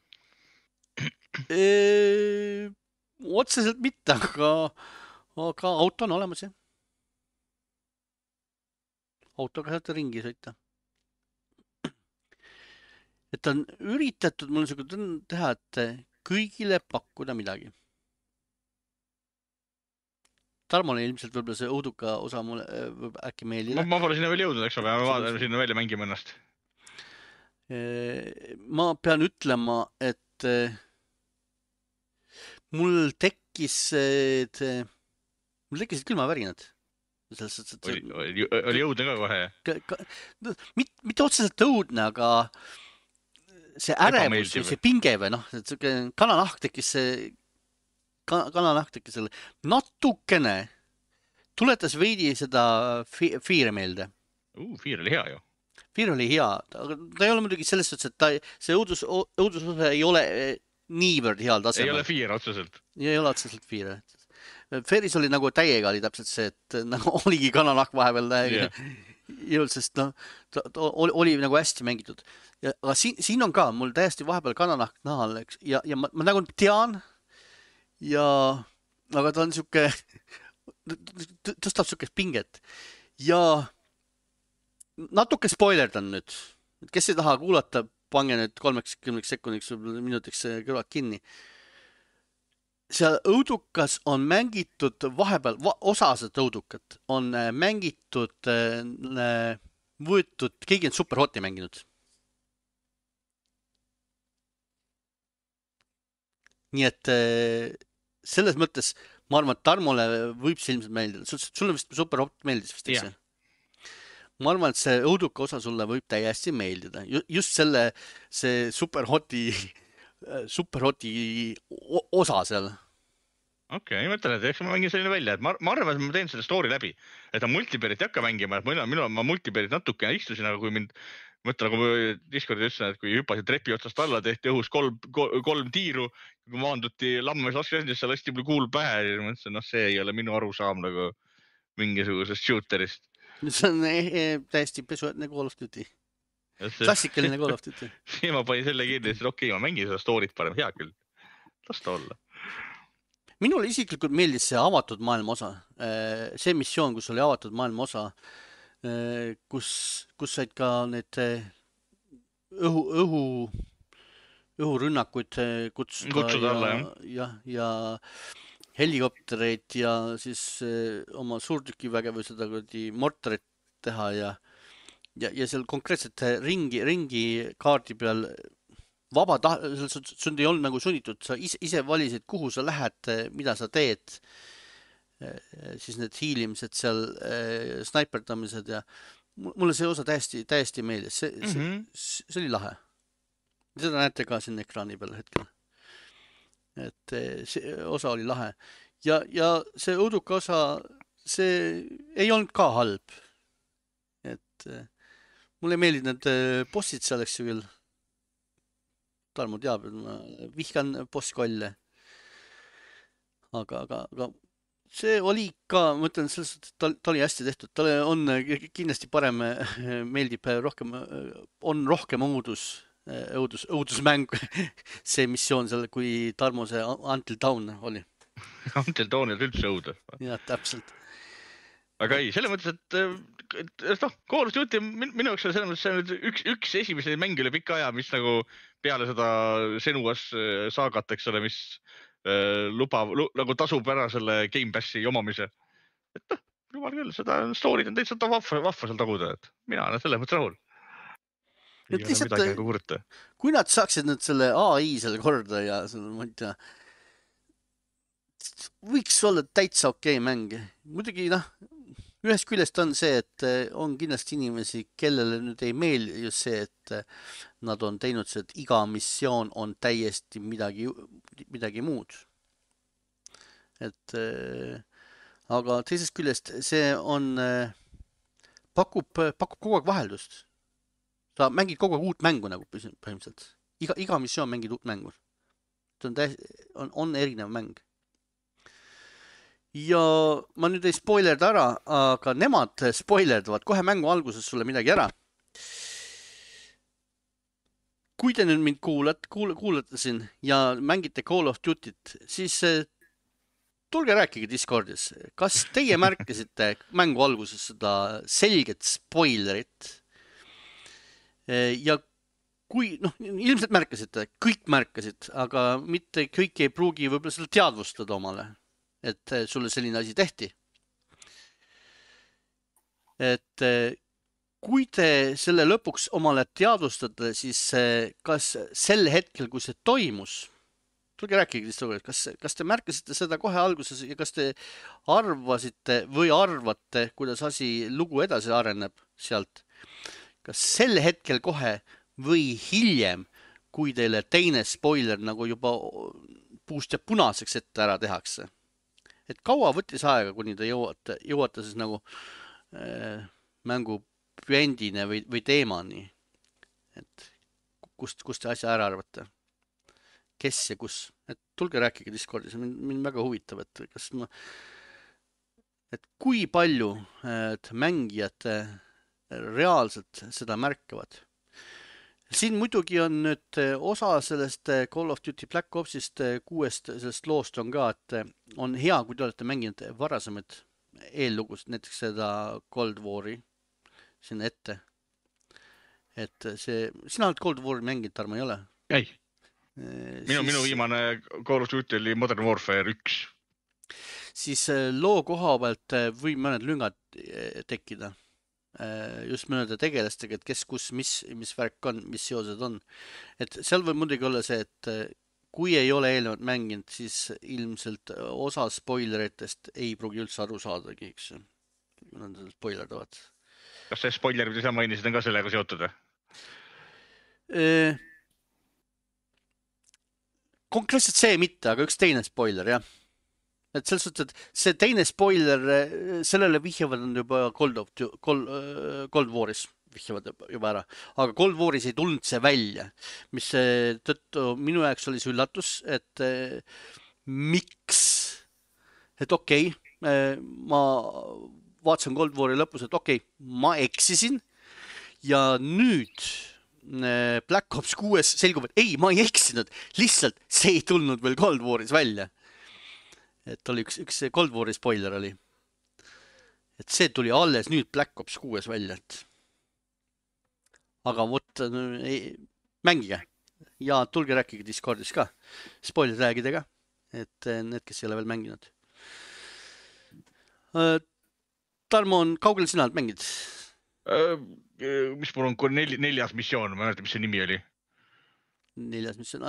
Eee, otseselt mitte, aga, aga auto on olemas, jah. Autoga saate ringi sõita. Et on üritatud mul niisugune teha, et kõigile pakkuda midagi. Tarmole ilmselt võib-olla see õuduka osa mulle võib äkki meeldida. Ma, ma pole sinna veel jõudnud, eks ole, ma vaatan sinna välja mängima ennast. Ma pean ütlema, et mul tekkis, et mul tekkisid külmavärinad. Oli, oli, oli õudne ka kohe? Ka, ka, mit, mitte otseselt õudne, aga see ärevus või see pinge või noh, et kananahk tekkis see, kananahk tekkis selle natukene, tuletas veidi seda Fear meelde. Uh, Fear oli hea ju. Fear oli hea, aga ta ei ole muidugi selles suhtes, et ta, see õudus, õudusosa ei ole niivõrd heal tasemel. Ei ole Fear otseselt. Ei ole otseselt Fear. Fearis oli nagu täiega oli täpselt see, et nagu oligi kananahk vahepeal yeah. Jõud, sest noh, ta, ta oli, oli nagu hästi mängitud. Ja, aga siin, siin on ka mul täiesti vahepeal kananahk nahal, eks, ja, ja ma, ma nagu tean ja, aga ta on siuke, tõstab siukest pinget ja natuke spoilerdan nüüd, kes ei taha kuulata, pange nüüd kolmekümneks sekundiks minutiks kõrvad kinni. seal õudukas on mängitud vahepeal, va, osa seda õudukat on äh, mängitud, äh, võetud, keegi on Superhoti mänginud. Nii et äh, selles mõttes ma arvan, et Tarmole võib see ilmselt meeldida. Sulle vist Superhot meeldis vist, eks Jah. see? Ma arvan, et see õuduka osa sulle võib täiesti meeldida. Just selle, see Superhoti, Superhoti osa seal. Okei, okay, mõtlen, et eks ma mängin selline välja, et ma, ma arvan, et ma teen selle story läbi, et ma multiplayer'it ei hakka mängima, et mina, mina, ma multiplayer'it natukene istusin, aga kui mind, mõtlen, nagu ma Discordi ütlesin, et kui hüppasid trepi otsast alla, tehti õhus kolm, kolm tiiru, kui maanduti lammes laskendisse, lasti mul kuul pähe ja ma mõtlesin, noh, see ei ole minu arusaam nagu mingisugusest shooterist. See on eh, eh, täiesti pesuätne Call of Duty. Klassikaline Call of Duty. Siis ma panin selle kinni ja siis okei, okay, ma mängin seda story't parem, hea küll. Las ta olla. Minule isiklikult meeldis see avatud maailma osa. See missioon, kus oli avatud maailma osa, kus, kus said ka need õhu, õhu, õhurünnakuid kutsuda. Kutsuda alla, jah. Ja, ja helikoptereid ja siis oma suurtükiväge või seda kuradi mortarit teha ja, ja, ja seal konkreetselt ringi, ringi kaardi peal vaba tah-, sul ei olnud nagu sunnitud, sa ise, ise valisid, kuhu sa lähed, mida sa teed, siis need hiilimised seal, snaiperdamised ja mulle see osa täiesti, täiesti meeldis, see, see, mm -hmm. see oli lahe. Seda näete ka siin ekraani peal hetkel. Et see osa oli lahe. Ja, ja see õuduka osa, see ei olnud ka halb. Et mulle meeldid need bossid seal, eks ju küll. Tarmo teab, et ma vihkan bosskolle. Aga, aga, aga see oli ka, ma ütlen, ta, ta oli hästi tehtud. Talle on kindlasti parem, meeldib rohkem, on rohkem õudus, õudus, õudusmäng see missioon seal, kui Tarmo see Until Dawn oli. Until Dawn oli üldse õudus. Jah, täpselt. Aga ei, selle mõttes, et, et noh, Call of Duty minu jaoks selles mõttes see on üks, üks esimese mängi üle pika aja, mis nagu peale seda Senuas saagat, eks ole, mis äh, lubab, nagu tasub ära selle Game Passi omamise. Et noh, jumal küll, seda story'd on täitsa vahva, vahva seal taguda, et mina olen selles mõttes rahul. Ei ole midagi nagu kurta. Kui nad saaksid nüüd selle A I selle korda ja selle, ma ei tea, võiks olla täitsa okei mäng. Muidugi, noh, ühest küljest on see, et on kindlasti inimesi, kellele nüüd ei meeldi just see, et nad on teinud see, et iga missioon on täiesti midagi, midagi muud. Et, aga teisest küljest see on, pakub, pakub kogu aeg vaheldust. Sa mängid kogu aeg uut mängu nagu põhimõtteliselt. Iga, iga missioon mängid uut mängu. See on, täis, on, on erinev mäng. Ja ma nüüd ei spoilerda ära, aga nemad spoilerdavad kohe mängu alguses sulle midagi ära. Kui te nüüd mind kuulate, kuul, kuulate siin ja mängite Call of Duty't, siis tulge rääkige Discordis. Kas teie märkasite mängu alguses seda selget spoilerit? Ja kui, noh, ilmselt märkasite, kõik märkasid, aga mitte kõik ei pruugi võib-olla seda teadvustada omale. Et sulle selline asi tehti. Et kui te selle lõpuks omale teadvustate, siis kas sel hetkel, kui see toimus, tulge rääkige, kas, kas te märkasite seda kohe alguses ja kas te arvasite või arvate, kuidas asi lugu edasi areneb sealt? Kas sel hetkel kohe või hiljem, kui teile teine spoiler nagu juba puust ja punaseks ette ära tehakse? Et kaua võttis aega, kuni te jõuate, jõuate siis nagu äh, mängu püendine või, või teemani. Et kust, kust te asja ära arvate? Kes ja kus? Et tulge rääkige Discordis, mind, mind väga huvitab, et kas ma, et kui palju et mängijad reaalselt seda märkavad. Siin muidugi on nüüd osa sellest Call of Duty Black Opsist kuuest sellest loost on ka, et on hea, kui te olete mänginud varasemaid eellugust, näiteks seda Cold War'i sinna ette. Et see, sina oled Cold War'i mänginud, Tarmo, ei ole? Ei. Minu, minu viimane Call of Duty oli Modern Warfare üks. Siis loo koha pealt või mõned lüngad tekkida. Just mõnede tegelastega, et kes, kus, mis, mis värk on, mis seosed on. Et seal võib muidugi olla see, et kui ei ole eelnevalt mänginud, siis ilmselt osa spoileritest ei pruugi üldse aru saadagi, eks. Nad spoilerdavad. Kas see spoiler, mida sa mainisid, on ka sellega seotud? Konkreetselt see mitte, aga üks teine spoiler, jah. Et selles suhtes, et see teine spoiler, sellele vihjavad on juba Cold, of, Cold, Cold Waris vihjavad juba ära. Aga Cold Waris ei tulnud see välja, mis tõttu minu jaoks oli see üllatus, et eh, miks, et okei, okay, ma vaatasin Cold Wari lõpus, et okei, okay, ma eksisin ja nüüd Black Ops kuues selgub, et ei, ma ei eksinud, lihtsalt see ei tulnud veel Cold Waris välja. Et oli üks, üks Cold Wari spoiler oli. Et see tuli alles nüüd Black Ops kuues välja. Et... Aga võt, ei, mängige. Ja tulge rääkige Discordis ka. Spoiler räägidega. Et need, kes ei ole veel mänginud. Tarmo, on kaugel sina mängid? Mis mul on nel, neljas missioon, ma mäletan, mis see nimi oli? Neljas missioon.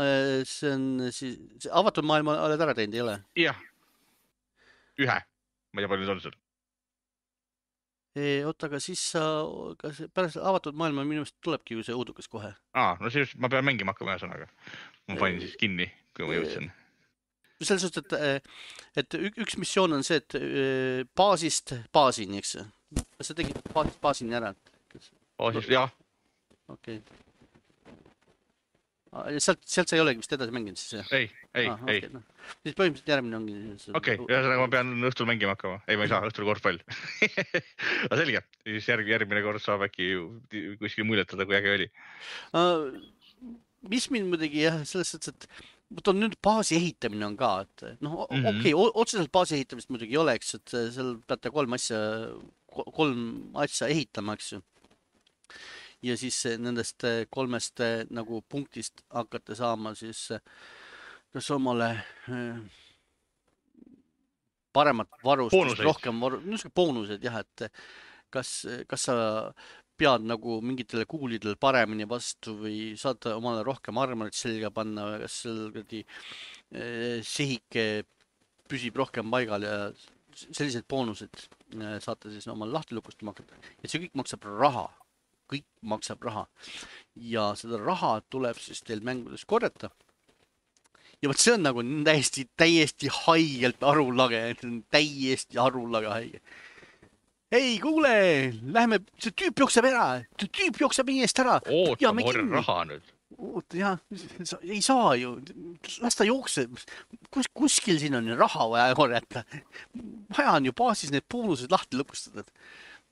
See on siis, see avatud maailma oled ära teinud, ei ole? Jah. Ühe. Ma ei tea, palju nüüd on seal. Oota, aga siis sa, kas pärast avatud maailma minu meelest tulebki ju see uudukas kohe? Aa, no siis ma pean mängima hakkama ühe sõnaga. Ma panin siis kinni, kui ma jõudsin. Selles suhtes, et, et üks missioon on see, et baasist baasini, eks? Kas sa tegid baasist baasini ära? Baasist, jah. Okei. Okay. Sealt, sealt sa ei olegi vist edasi mänginud siis? Ei, ei, ah, ei. Okay, no. Siis põhimõtteliselt järgmine ongi... Okei, okay, ühesõnaga ma pean õhtul mängima hakkama. Ei, ma ei saa, õhtul korvpall. Aga selge, siis järg, järgmine kord saab äkki kuskil muljetada, kui äge oli. Uh, mis mind muidugi jah, selles suhtes, et võt on nüüd baasi ehitamine on ka, et noh, mm -hmm. okei, okay, otseselt baasi ehitamist muidugi ei oleks, et seal peate kolm asja, kolm asja ehitama, eks ju. Ja siis nendest kolmest nagu punktist hakkate saama siis kas omale paremat varustust, rohkem varu, niisugune boonused jah, et kas, kas sa pead nagu mingitele kuulidele paremini vastu või saad omale rohkem armorit selga panna või kas seal sihike püsib rohkem paigal ja sellised boonused saate siis omale lahti lukustama hakata. Ja see kõik maksab raha. Kõik maksab raha. Ja seda raha tuleb siis teil mängudes korjata. Ja võt see on nagu täiesti, täiesti haigelt arulage. Täiesti arulage haige. Ei, kuule, lähme, see tüüp jookseb ära. See tüüp jookseb meie eest ära. Oota, ma korjan raha nüüd. Oota, jah, ei saa ju. Las ta jookseb. Kus, kuskil siin on raha vaja korjata. Vaja on ju baasis need boonused lahti lõpustada.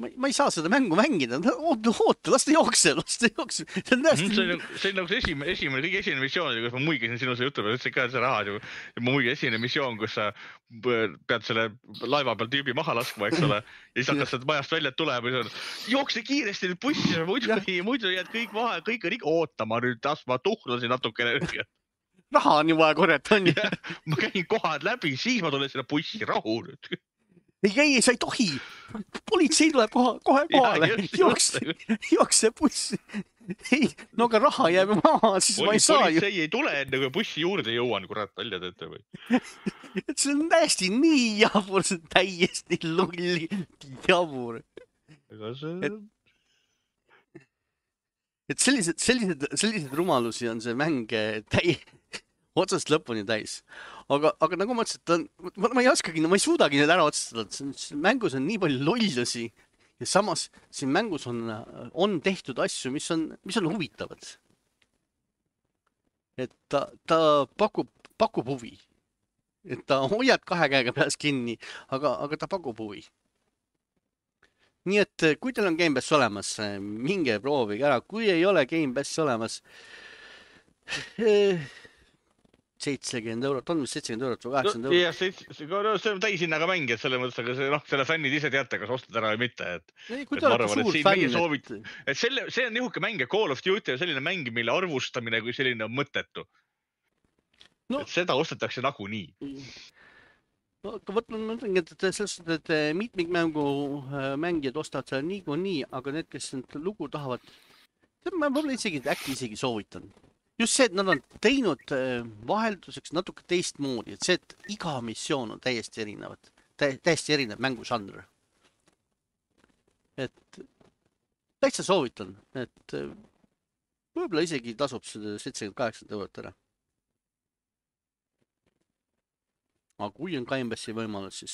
Ma, ma ei saa seda mängu mängida. Oota, oota, las ta jookseb, las ta jookseb. See on täiesti... See on, see on nagu see esimene, esimene, kõige esimene missioon, kus ma muigisin sinu see jutu peal, ütlesin ka, et see raha, ja ma muigisin esimene missioon, kus sa pead selle laiva peal tüübi maha laskma, eks ole, ja siis hakkad seda majast välja tulema, ja jookse kiiresti nüüd bussi, muidu, muidu jääd kõik maha, kõik on ikka ootama nüüd, tas ma tuhlasin natukene. Raha on ju vaja korjata, on ju. Ma käin kohad läbi, siis ma tulen selle bussi rahu nüüd. Ei, ei, sa ei tohi. Politsei tuleb kohe, kohe kohale. Jookse, jookse bussi. Ei, no aga raha jääb maha, siis Poli, ma ei saa ju. Politsei ei tule enne, kui bussi juurde jõuan, kurat, välja teete või. Et see on täiesti nii jabur, see on täiesti lulli jabur. Et, et sellised, sellised, sellised rumalusi on see mäng täi... otsast lõpuni täis. Aga, aga nagu ma ütlesin, ma, ma ei oskagi, ma ei suudagi need ära otsustada. Mängus on nii palju lollusi ja samas siin mängus on, on tehtud asju, mis on, mis on huvitavad. Et ta, ta pakub, pakub huvi. Et ta hoiab kahe käega peas kinni, aga, aga ta pakub huvi. Nii et kui teil on Game Pass olemas, minge proovige ära. Kui ei ole Game Pass olemas, seitsekümmend eurot, on mis seitsekümmend eurot või kaheksakümmend eurot? Jah, see on täishinnaga mäng, et selle mõttes, aga see, noh, selle fännid ise teate, kas ostad ära või mitte. Et, ei, kui te olete suur fänn. Soovit, et selle, see on nihuke mäng ja Call of Duty on selline mäng, mille arvustamine kui selline on mõttetu. No. Et seda ostetakse nagu nii. No, aga võt, ma mõtlengi, et selles, et mitmikmängu mängijad ostavad seda nii, nii, aga need, kes lugu tahavad, ma võib-olla isegi, äkki isegi soovitan. Just see, et nad on teinud vahelduseks natuke teistmoodi, et see, et iga missioon on täiesti erinevad, täiesti erinev mängužanr. Et täitsa soovitan, et võib-olla isegi tasub seda seitsekümmend kaheksa eurot ära. Aga kui on Gamepassi võimalus, siis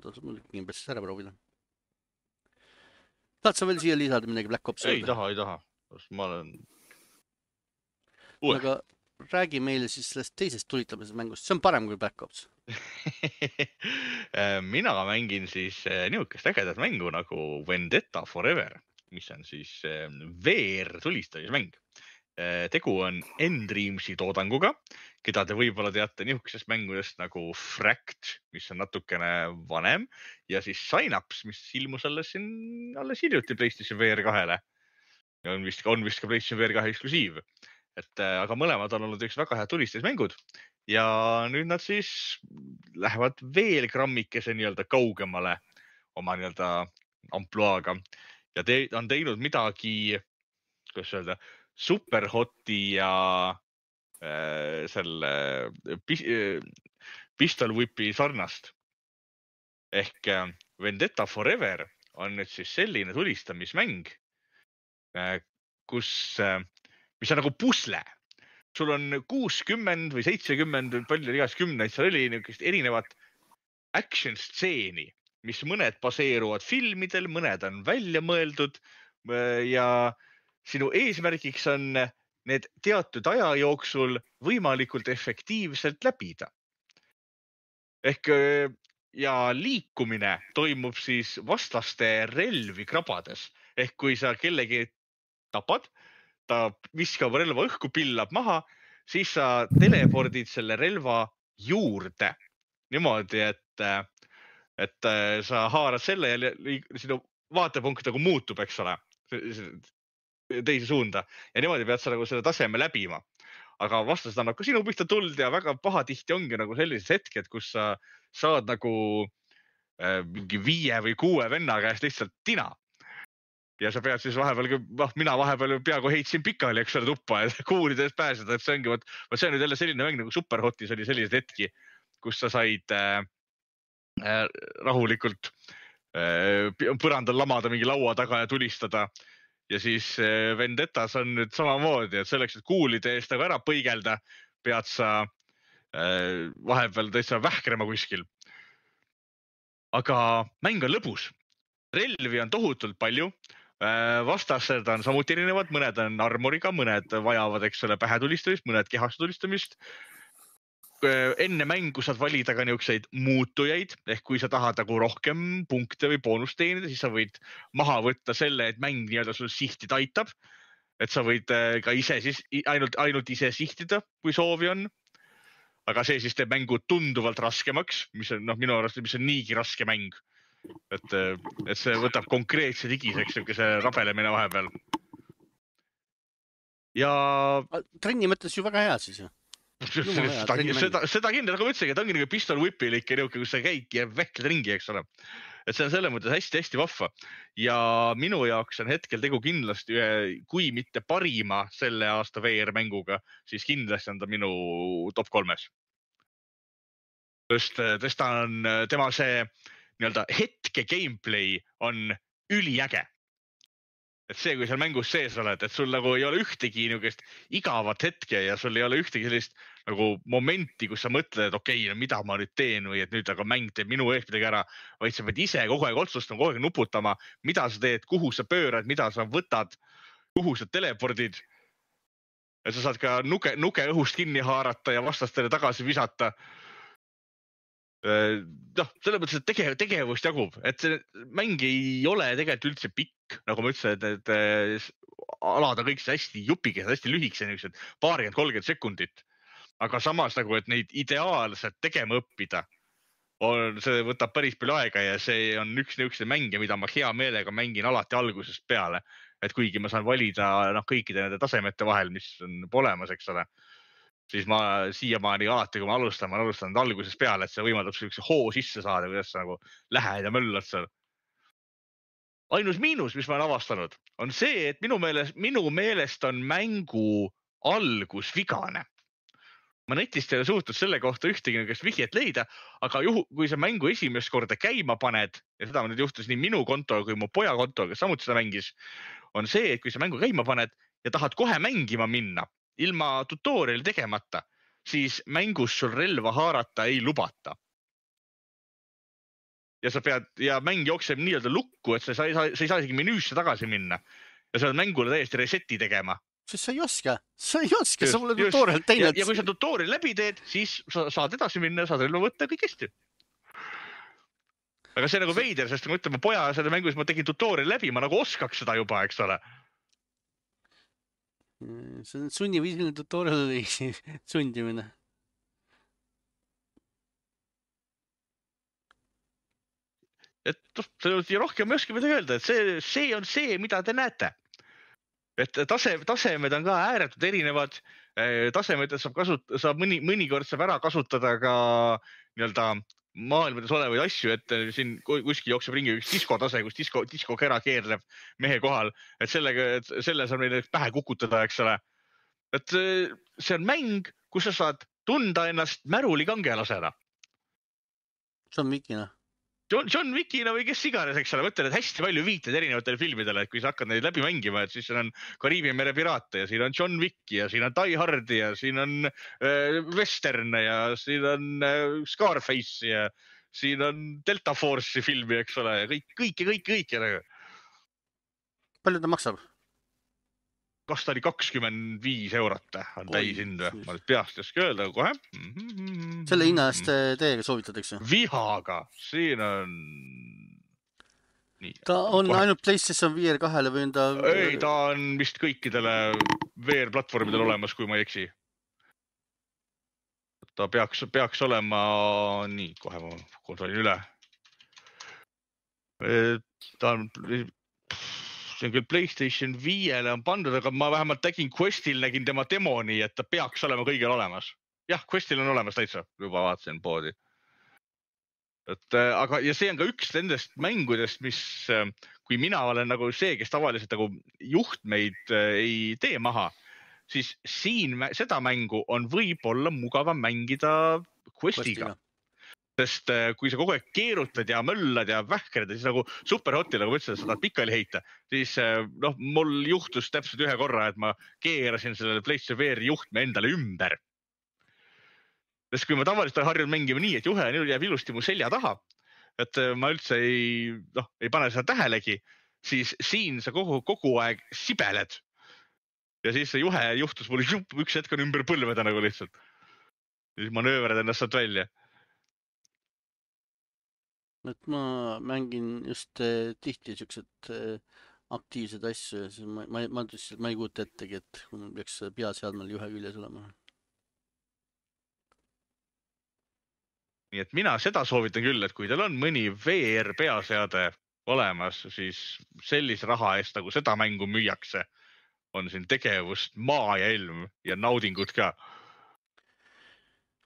tasub mul Gamepassis ära proovida. Tahad sa veel siia lisada midagi Black Ops? Ei taha, ei taha. Ma olen... Uue. Aga räägi meile siis sellest teisest tulitamisest mängust. See on parem kui Black Ops. Mina mängin siis niisugust ägedat mängu nagu Vendetta Forever, mis on siis V R tulistamismäng. Tegu on N-Dreamsi toodanguga, keda te võib-olla teate niisugusest mängudest nagu Fract, mis on natukene vanem, ja siis Synapse, mis ilmus alles, siin, alles hiljuti PlayStation V R kahele. On vist, on vist ka PlayStation V R kahe eksklusiiv. Et, aga mõlemad on olnud üks väga head tulistusmängud ja nüüd nad siis lähevad veel grammikese nii-öelda kaugemale oma nii-öelda ampluaaga ja te on teinud midagi, kuidas öelda, Superhoti ja äh, selle pis, äh, Pistol Whipi sarnast. Ehk äh, Vendetta Forever on nüüd siis selline tulistamismäng, äh, kus, äh, mis on nagu pusle. Sul on kuuskümmend või seitsekümmend, palju igas kümneid, seal oli niisugust erinevat action stseeni, mis mõned baseeruvad filmidel, mõned on välja mõeldud äh, ja sinu eesmärgiks on need teatud aja jooksul võimalikult efektiivselt läbida. Ehk ja liikumine toimub siis vastaste relvi krabades. Ehk kui sa kellegi tapad, ta viskab relva õhku, pillab maha, siis sa telepordid selle relva juurde. Niimoodi, et, et sa haarad selle ja sinu vaatepunkt nagu muutub, eks ole. Teise suunda ja niimoodi pead sa nagu selle taseme läbima. Aga vastased annab ka sinu pihta tuld ja väga pahatihti ongi nagu sellised hetked, kus sa saad nagu äh, mingi viie või kuue venna käest lihtsalt tina. Ja sa pead siis vahepeal, noh, mina vahepeal peaaegu heitsin pikali, eks ole, tuppa ja kuulide eest pääseda, et see ongi, võt, see on nüüd jälle selline mäng nagu Superhotis oli sellised hetki, kus sa said äh, äh, rahulikult äh, põrandal lamada mingi laua taga ja tulistada. Ja siis Vendettas on nüüd samamoodi, et selleks, et kuulide eest ära põigelda, pead sa vahepeal täitsa vähkrema kuskil. Aga mäng on lõbus. Relvi on tohutult palju. Vastased on samuti erinevad, mõned on armoriga, mõned vajavad, eks ole, pähetulistamist, mõned kehastulistamist. Enne mängu saad valida ka niisuguseid muutujaid, ehk kui sa tahad nagu rohkem punkte või boonust teenida, siis sa võid maha võtta selle, et mäng nii-öelda sul sihti taitab. Et sa võid ka ise siis ainult, ainult ise sihtida, kui soovi on. Aga see siis teeb mängu tunduvalt raskemaks, mis on noh, minu arust, mis on niigi raske mäng. Et, et see võtab konkreetse digiseks niisuguse rabelemine vahepeal. Ja... Trenni mõttes ju väga hea siis ju. Seda, seda, seda kindel, nagu ma ütlesin, et ongi nagu Pistol Whipil ikka niuke, kus sa käid ja vehkled ringi, eks ole. Et see on selle mõttes hästi-hästi vahva. Ja minu jaoks on hetkel tegu kindlasti, kui mitte parima selle aasta V R mänguga, siis kindlasti on ta minu top kolmes. Just, ta on, tema see nii-öelda hetke gameplay on üliäge. Et see, kui seal mängus sees oled, et sul nagu ei ole ühtegi niisugust igavat hetke ja sul ei ole ühtegi sellist nagu momenti, kus sa mõtled, et okei, okay, no mida ma nüüd teen või et nüüd aga mäng teeb minu eest midagi ära, vaid sa pead ise kogu aeg otsustama, kogu aeg nuputama, mida sa teed, kuhu sa pöörad, mida sa võtad, kuhu sa telepordid. Ja sa saad ka nuke, nuke õhust kinni haarata ja vastastele tagasi visata. noh, selle mõttes, et tegev, tegevust jagub, et see mäng ei ole tegelikult üldse pikk, nagu ma ütlesin, et, et alad on kõik hästi jupikesed, hästi lühikesed, niisugused paarkümmend kolmkümmend sekundit. Aga samas nagu, et neid ideaalselt tegema õppida, on, see võtab päris palju aega ja see on üks niisuguse mänge, mida ma hea meelega mängin alati algusest peale. Et kuigi ma saan valida noh, kõikide nende tasemete vahel, mis on olemas, eks ole. siis ma siiamaani alati, kui ma alustan, ma alustan algusest peale, et see võimaldab sellise hoo sisse saada, kuidas sa nagu lähed ja möllad seal. Ainus miinus, mis ma olen avastanud, on see, et minu meelest, minu meelest on mängu algus vigane. Ma netist ei ole suutnud selle kohta ühtegi niisugust vihjet leida, aga juhu, kui sa mängu esimest korda käima paned, ja seda nüüd juhtus nii minu konto kui mu poja konto, kes samuti seda mängis, on see, et kui sa mängu käima paned ja tahad kohe mängima minna, ilma tutoriali tegemata, siis mängus sul relva haarata ei lubata. Ja sa pead, ja mäng jookseb nii-öelda lukku, et sa ei saa, sa ei saa isegi menüüsse tagasi minna. Ja sa pead mängule täiesti reseti tegema. Sest sa ei oska, sa ei oska, sa pole tutorial teinud. Ja, ja kui sa tutorial läbi teed, siis sa saad edasi minna ja saad relva võtta kõik hästi. Aga see on nagu veider, sest ma ütlen, ma poja selle mängus ma tegin tutorial läbi, ma nagu oskaks seda juba, eks ole. See on sunniviisiline tutorial sundimine. Et see rohkem ei oska midagi öelda, et see, see on see, mida te näete. Et tase, tasemed on ka ääretult erinevad. Tasemed saab, kasut, saab mõni, mõnikord saab ära kasutada ka nii-öelda maailmades olevaid asju, et siin kuskil jookseb ringi üks diskotase, kus disko, diskokera keerleb mehe kohal, et sellega, et selle saab meile pähe kukutada, eks ole. Et see on mäng, kus sa saad tunda ennast märuli kangelasena. John Wickina. John, John Wickina või kes iganes, eks ole, mõtlen, et hästi palju viited erinevatele filmidele, et kui sa hakkad neid läbi mängima, et siis siin on Kariibi mere piraate ja siin on John Wick ja siin on Die Hard ja siin on äh, Western ja siin on äh, Scarface ja siin on Delta Force'i filmi, eks ole, ja kõik, kõik ja kõik, kõik. Ja... Palju ta maksab? Kas ta oli kakskümmend viis eurot on täis hind või? Ma nüüd peast jõske öelda kohe. Selle hinna eest teiega soovitatakse? Vihaga. Siin on... Nii. Ta on kohe. Ainult PlayStation V R kahele või on ta... Ei, ta on vist kõikidele V R-platvormidel olemas, kui ma ei eksi. Ta peaks, peaks olema... Nii, kohe ma kontrollin üle. Ta on... See on küll PlayStation viiele on pandud, aga ma vähemalt tegin Questil, nägin tema demo nii, et ta peaks olema kõigil olemas. Jah, Questil on olemas täitsa, juba vaatasin poodi. Et, aga, ja see on ka üks nendest mängudest, mis, kui mina olen nagu see, kes tavaliselt nagu juhtmeid ei tee maha, siis siin seda mängu on võib-olla mugavam mängida Questiga. Questiga. Sest kui sa kogu aeg keerutad ja möllad ja vähkrad, siis nagu superhotil, nagu ma ütlesin, sa tahad pikali heita, siis noh, mul juhtus täpselt ühe korra, et ma keerasin sellele PlayStation V R juhtme endale ümber. Sest kui ma tavaliselt harjun mängima nii, et juhe jääb ilusti mu selja taha, et ma üldse ei, noh, ei pane seda tähelegi, siis siin sa kogu, kogu aeg sibeled. Ja siis see juhe juhtus mul üks hetk on ümber põlveda nagu lihtsalt. Siis manööverad ennast saad välja. Et ma mängin just äh, tihti siuksed äh, aktiivsed asju ja siis ma, ma, ma, ma ei kuuta ettegi, et kui mul peaks peaseadmel juhe küljes olema. Nii et mina seda soovitan küll, et kui teil on mõni V R peaseade olemas, siis sellise raha eest, nagu seda mängu müüakse, on siin tegevust maa ja ilm ja naudingud ka.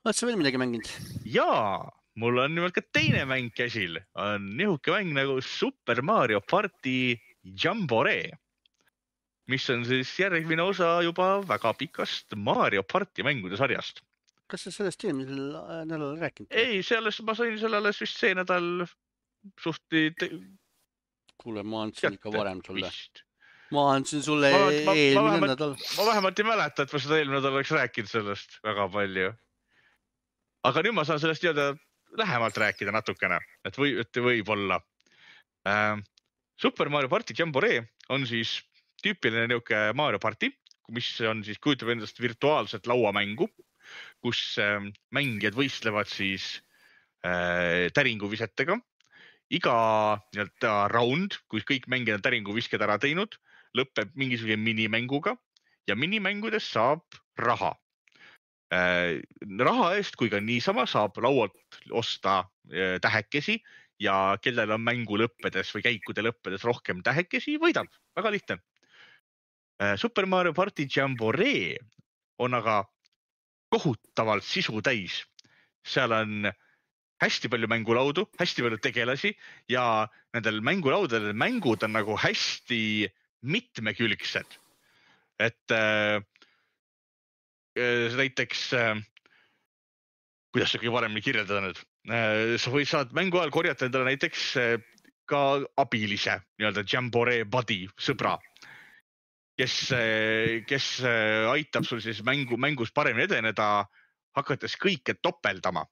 Oled sa veel midagi mänginud? Jaa! Mul on nimelt ka teine mäng käsil, on nihuke mäng nagu Super Mario Party Jamboree, mis on siis järgmine osa juba väga pikast Mario Party mängude sarjast. Kas sa sellest eelmisel nädalal rääkinud? Ei, selles ma sain sellele vist see nädal suhti... Te... Kuule, ma andsin ikka varem sulle. Vist. Ma andsin sulle ma, ma, eelmine ma vähemalt, nädal. Ma vähemalt ei mäleta, et ma seda eelmine nädal oleks rääkinud sellest väga palju. Aga nüüd ma saan sellest teada lähemalt rääkida natukene, et, või, et võib olla. Äh, Super Mario Party Jamboree on siis tüüpiline niuke Mario Party, mis on siis kujutab endast virtuaalset lauamängu, kus äh, mängijad võistlevad siis äh, täringuvisetega. Iga nii-öelda round, kui kõik mängijad on täringuvisked ära teinud, lõpeb mingisugune minimänguga ja minimängudes saab raha. Äh, raha eest, kui ka niisama saab laualt osta äh, tähekesi ja kellel on mängu lõppedes või käikude lõppedes rohkem tähekesi, võidab. Väga lihtne. Äh, Super Mario Party Jamboree on aga kohutavalt sisu täis. Seal on hästi palju mängulaudu, hästi palju tegelasi ja nendel mängulaudadel mängud on nagu hästi mitmekülgsed. Et äh, näiteks, äh, kuidas see kõige paremini kirjeldada nüüd? Äh, sa või saad mängu ajal korjata endale näiteks äh, ka abilise, nii-öelda Jamboree buddy, sõbra, kes, kes aitab sul siis mängu, mängus paremini edeneda, hakates kõike topeldama.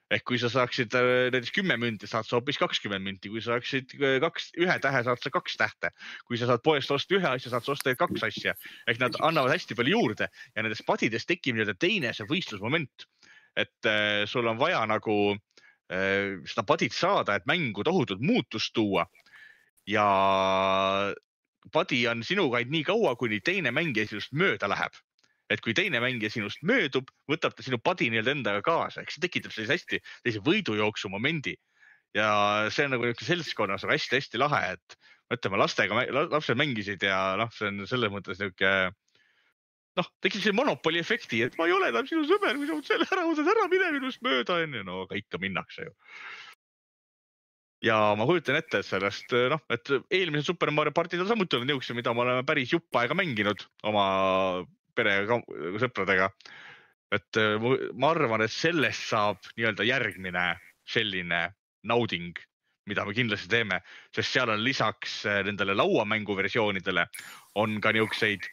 Ehk kui sa saaksid näiteks kümme münti, saad sa hoopis kakskümmend münti. Kui sa saaksid kaks, ühe tähe, saad sa kaks tähte. Kui sa saad poest osta ühe asja, saad sa osta kaks asja. Ehk nad annavad hästi palju juurde ja nendest padidest tekib nii-öelda teine see võistlusmoment. Et äh, sul on vaja nagu äh, seda padit saada, et mängu tohutult muutust tuua. Ja padi on sinuga ainult nii kaua, kuni teine mängija sinust mööda läheb. Et kui teine mängija sinust möödub, võtab ta sinu padi nii-öelda endaga kaasa. Ehk see tekitab sellise hästi sellise võidujooksu momendi. Ja see on nagu seltskonnas hästi-hästi lahe, et mõtleme, lastega, lapsed mängisid ja noh, see on selles mõttes niuke, noh, tekib see monopoli efekti, et ma ei ole enam sinu sõber, kui sa selle ära võtad ära, mine minust mööda enne. No aga ikka minnakse ju. Ja ma kujutan ette, et sellest, noh, et eelmised Super Mario partid on samuti olnud niukse, mida ma olen päris jupp aega mänginud oma pere sõpradega. Et ma arvan, et sellest saab nii-öelda järgmine selline nauding, mida me kindlasti teeme, sest seal on lisaks nendele lauamängu versioonidele on ka niukseid,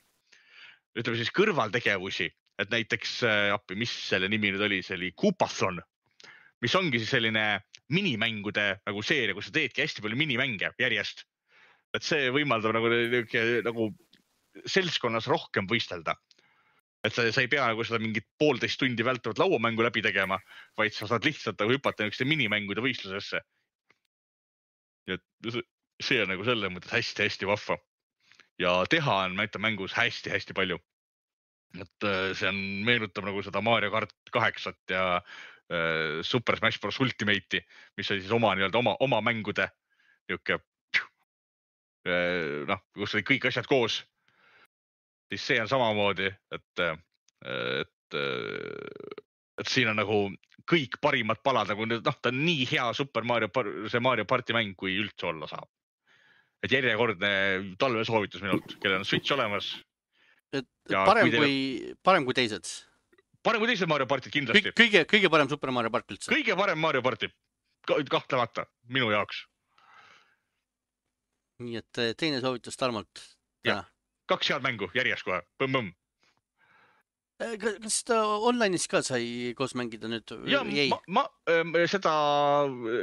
ütleme siis kõrvaltegevusi, et näiteks, appi, mis selle nimi nüüd oli, see oli Koopathon, mis ongi siis selline minimängude nagu seeria, kus sa teedki hästi palju minimänge järjest. Et see võimaldab nagu, nagu seltskonnas rohkem võistelda. Et sa, sa ei pea nagu seda mingit poolteist tundi vältavat lauamängu läbi tegema, vaid sa saad lihtsalt nagu hüpata niisuguste minimängude võistlusesse. Ja see on nagu selle mõttes hästi-hästi vahva. Ja teha on näita mängus hästi-hästi palju. Et see on, meenutab nagu seda Mario Kart kaheksat ja äh, Super Smash Bros. Ultimate'i, mis oli siis oma, nii-öelda oma, oma mängude niuke, äh, noh, kus oli kõik asjad koos. Siis see on samamoodi, et, et, et siin on nagu kõik parimad palad, nagu noh, ta on nii hea Super Mario, see Mario Party mäng, kui üldse olla saab. Et järjekordne talvesoovitus minult, kellel on Switch olemas. Et parem kui, kui, parem kui teised? Parem kui teised Mario Partid kindlasti. Kõige, kõige parem Super Mario Part üldse? Kõige parem Mario Party, kahtlemata, minu jaoks. Nii et teine soovitus Tarmolt täna. Kaks head mängu järjest kohe, põmm-põmm. Kas seda online'is ka sai koos mängida nüüd? Ja, ma, ma seda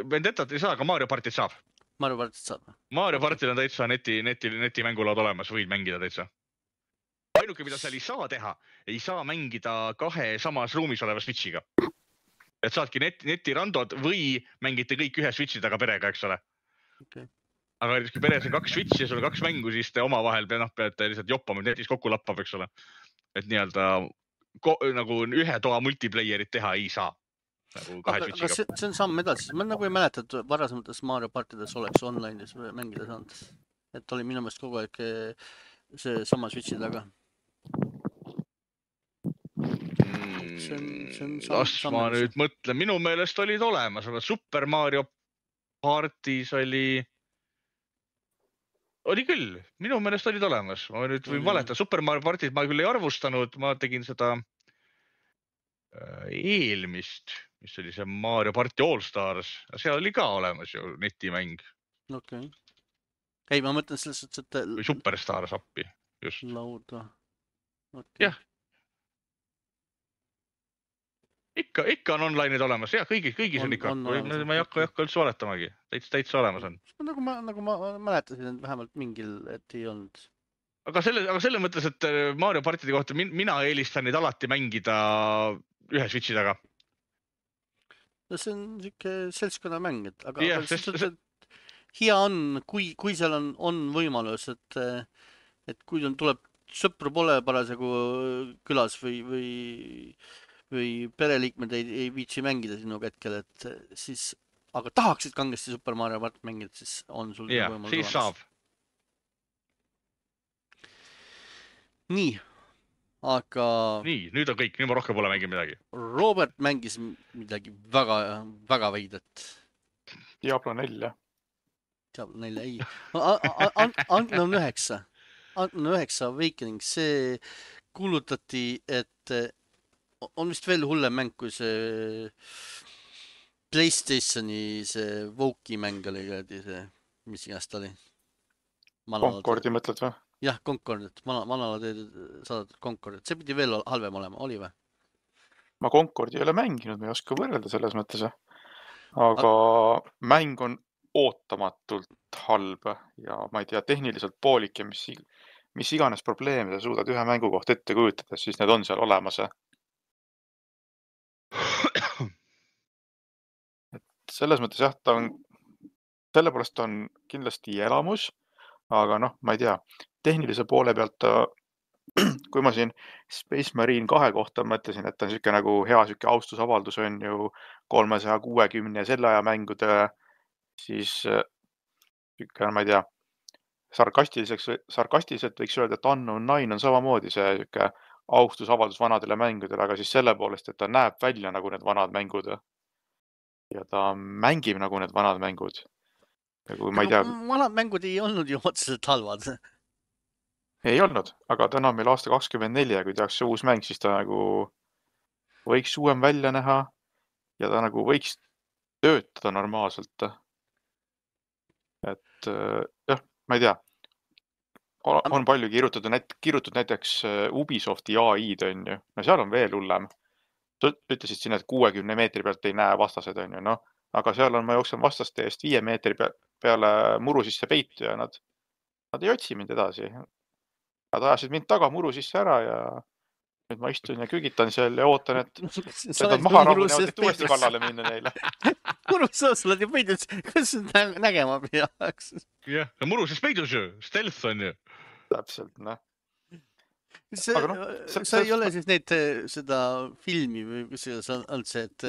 Vendettat ei saa, aga Mario Partit saab. Mario Partit saab? Mario Partil on täitsa neti, neti, neti mängulaud olemas, võid mängida täitsa. Ainuke, mida seal ei saa teha, ei saa mängida kahe samas ruumis oleva Switchiga. Et saadki net, netirandod või mängite kõik ühe Switchi taga perega, eks ole. Okay. Aga kui peres on kaks Switchi ja sul on kaks mängu, siis te omavahel noh, peate lihtsalt joppama, netis kokku lappab, eks ole. Et nii-öelda nagu ühe toa multiplayerit teha ei saa. Nagu kahe aga, aga see, see on samm edasi. Ma nagu ei mäleta, et varasemates Mario partides oleks online'is mängida saanud. Et oli minu meelest kogu aeg see sama Switchi taga. Mm, see on, see on samm, las samm ma edasi. Nüüd mõtlen, minu meelest olid olemas, aga Super Mario partis oli... Oli küll, minu meelest olid olemas. Ma nüüd võin valeta, Super Mario Partit ma küll ei arvustanud, ma tegin seda eelmist, mis oli see Mario Party All Stars. Seal oli ka olemas ju netimäng. Okei. Okay. Ei, ma mõtlen selles, et... Või Superstars appi, just. Lauda. Okay. Jah. Ikka, ikka on online'id olemas. Jah, kõigis, kõigis on, on ikka. On olemas, ma ei hakka, hakka üldse valetamagi. Täitsa, täitsa olemas on. Nagu ma, nagu ma mäletasin, et vähemalt mingil, et ei olnud. Aga selle, aga selle mõttes, et Mario partide kohta mina eelistan neid alati mängida ühe Switchi taga. No see on siuke seltskonna mäng, et aga, yeah, aga sest, see, see hea on, kui, kui seal on, on võimalus, et, et kui tuleb sõpru pole parasjagu külas või, või või pereliikmed ei, ei viitsi mängida sinuga hetkel, et siis, aga tahaksid kangesti Super Mario Part mängida, siis on sul yeah, võimalus siis olemas. Saab. Nii, aga nii, nüüd on kõik, nüüd ma rohkem pole mänginud midagi. Robert mängis midagi väga, väga veidrat. Diablo neli, jah. Diablo neli, ei. Unknown üheksa. Unknown üheksa Awakening, see kuulutati, et on vist veel hullem mäng kui see PlayStationi see Voki mäng oli, see, mis iganes ta oli. Concordi mõtled või? Jah, Concord, et manala teed saadud Concord, et see pidi veel halvem olema, oli või? Ma Concordi ei ole mänginud, ma ei oska võrrelda selles mõttes. Aga A mäng on ootamatult halb ja ma ei tea, tehniliselt poolik ja mis, mis iganes probleeme sa suudad ühe mängu kohta ette kujutada, siis need on seal olemas. Et selles mõttes jah, ta on, selle poolest on kindlasti elamus, aga noh, ma ei tea, tehnilise poole pealt ta, kui ma siin Space Marine kahe kohta mõtlesin, et ta on siuke nagu hea siuke austusavaldus on ju kolmesaja kuuekümne selle aja mängudele, siis siuke, ma ei tea, sarkastiliseks, sarkastiliselt võiks öelda, et Unknown nine on samamoodi see siuke austusavaldus vanadele mängudele, aga siis selle poolest, et ta näeb välja nagu need vanad mängud ja ta mängib nagu need vanad mängud. Ja kui ma ei tea... Vanad mängud ei olnud ju otseselt halvad. Ei olnud, aga täna on meil aasta kakskümmend neli ja kui tehakse see uus mäng, siis ta nagu võiks uuem välja näha ja ta nagu võiks töötada normaalselt. Et jah, ma ei tea, on palju kirjutatud, näit, kirjutatud näiteks Ubisofti A I-d on ju, no seal on veel hullem. Ütlesid siin, et kuuekümne meetri pealt ei näe vastased on ju, noh, aga seal on, ma jooksen vastaste eest viie meetri peale muru sisse peitu ja nad, nad ei otsi mind edasi. Nad ajasid mind taga muru sisse ära ja nüüd ma istun ja kügitan seal ja ootan, et need on maha rahunevad, et uuesti kallale minna neile. Muru sees oled ju peidus, kuidas nägema peaks? Jah, no muru siis peidus ju, stealth on ju. Täpselt, noh. See, no, sa see, ei ole siis neid, seda filmi või kus see on see, et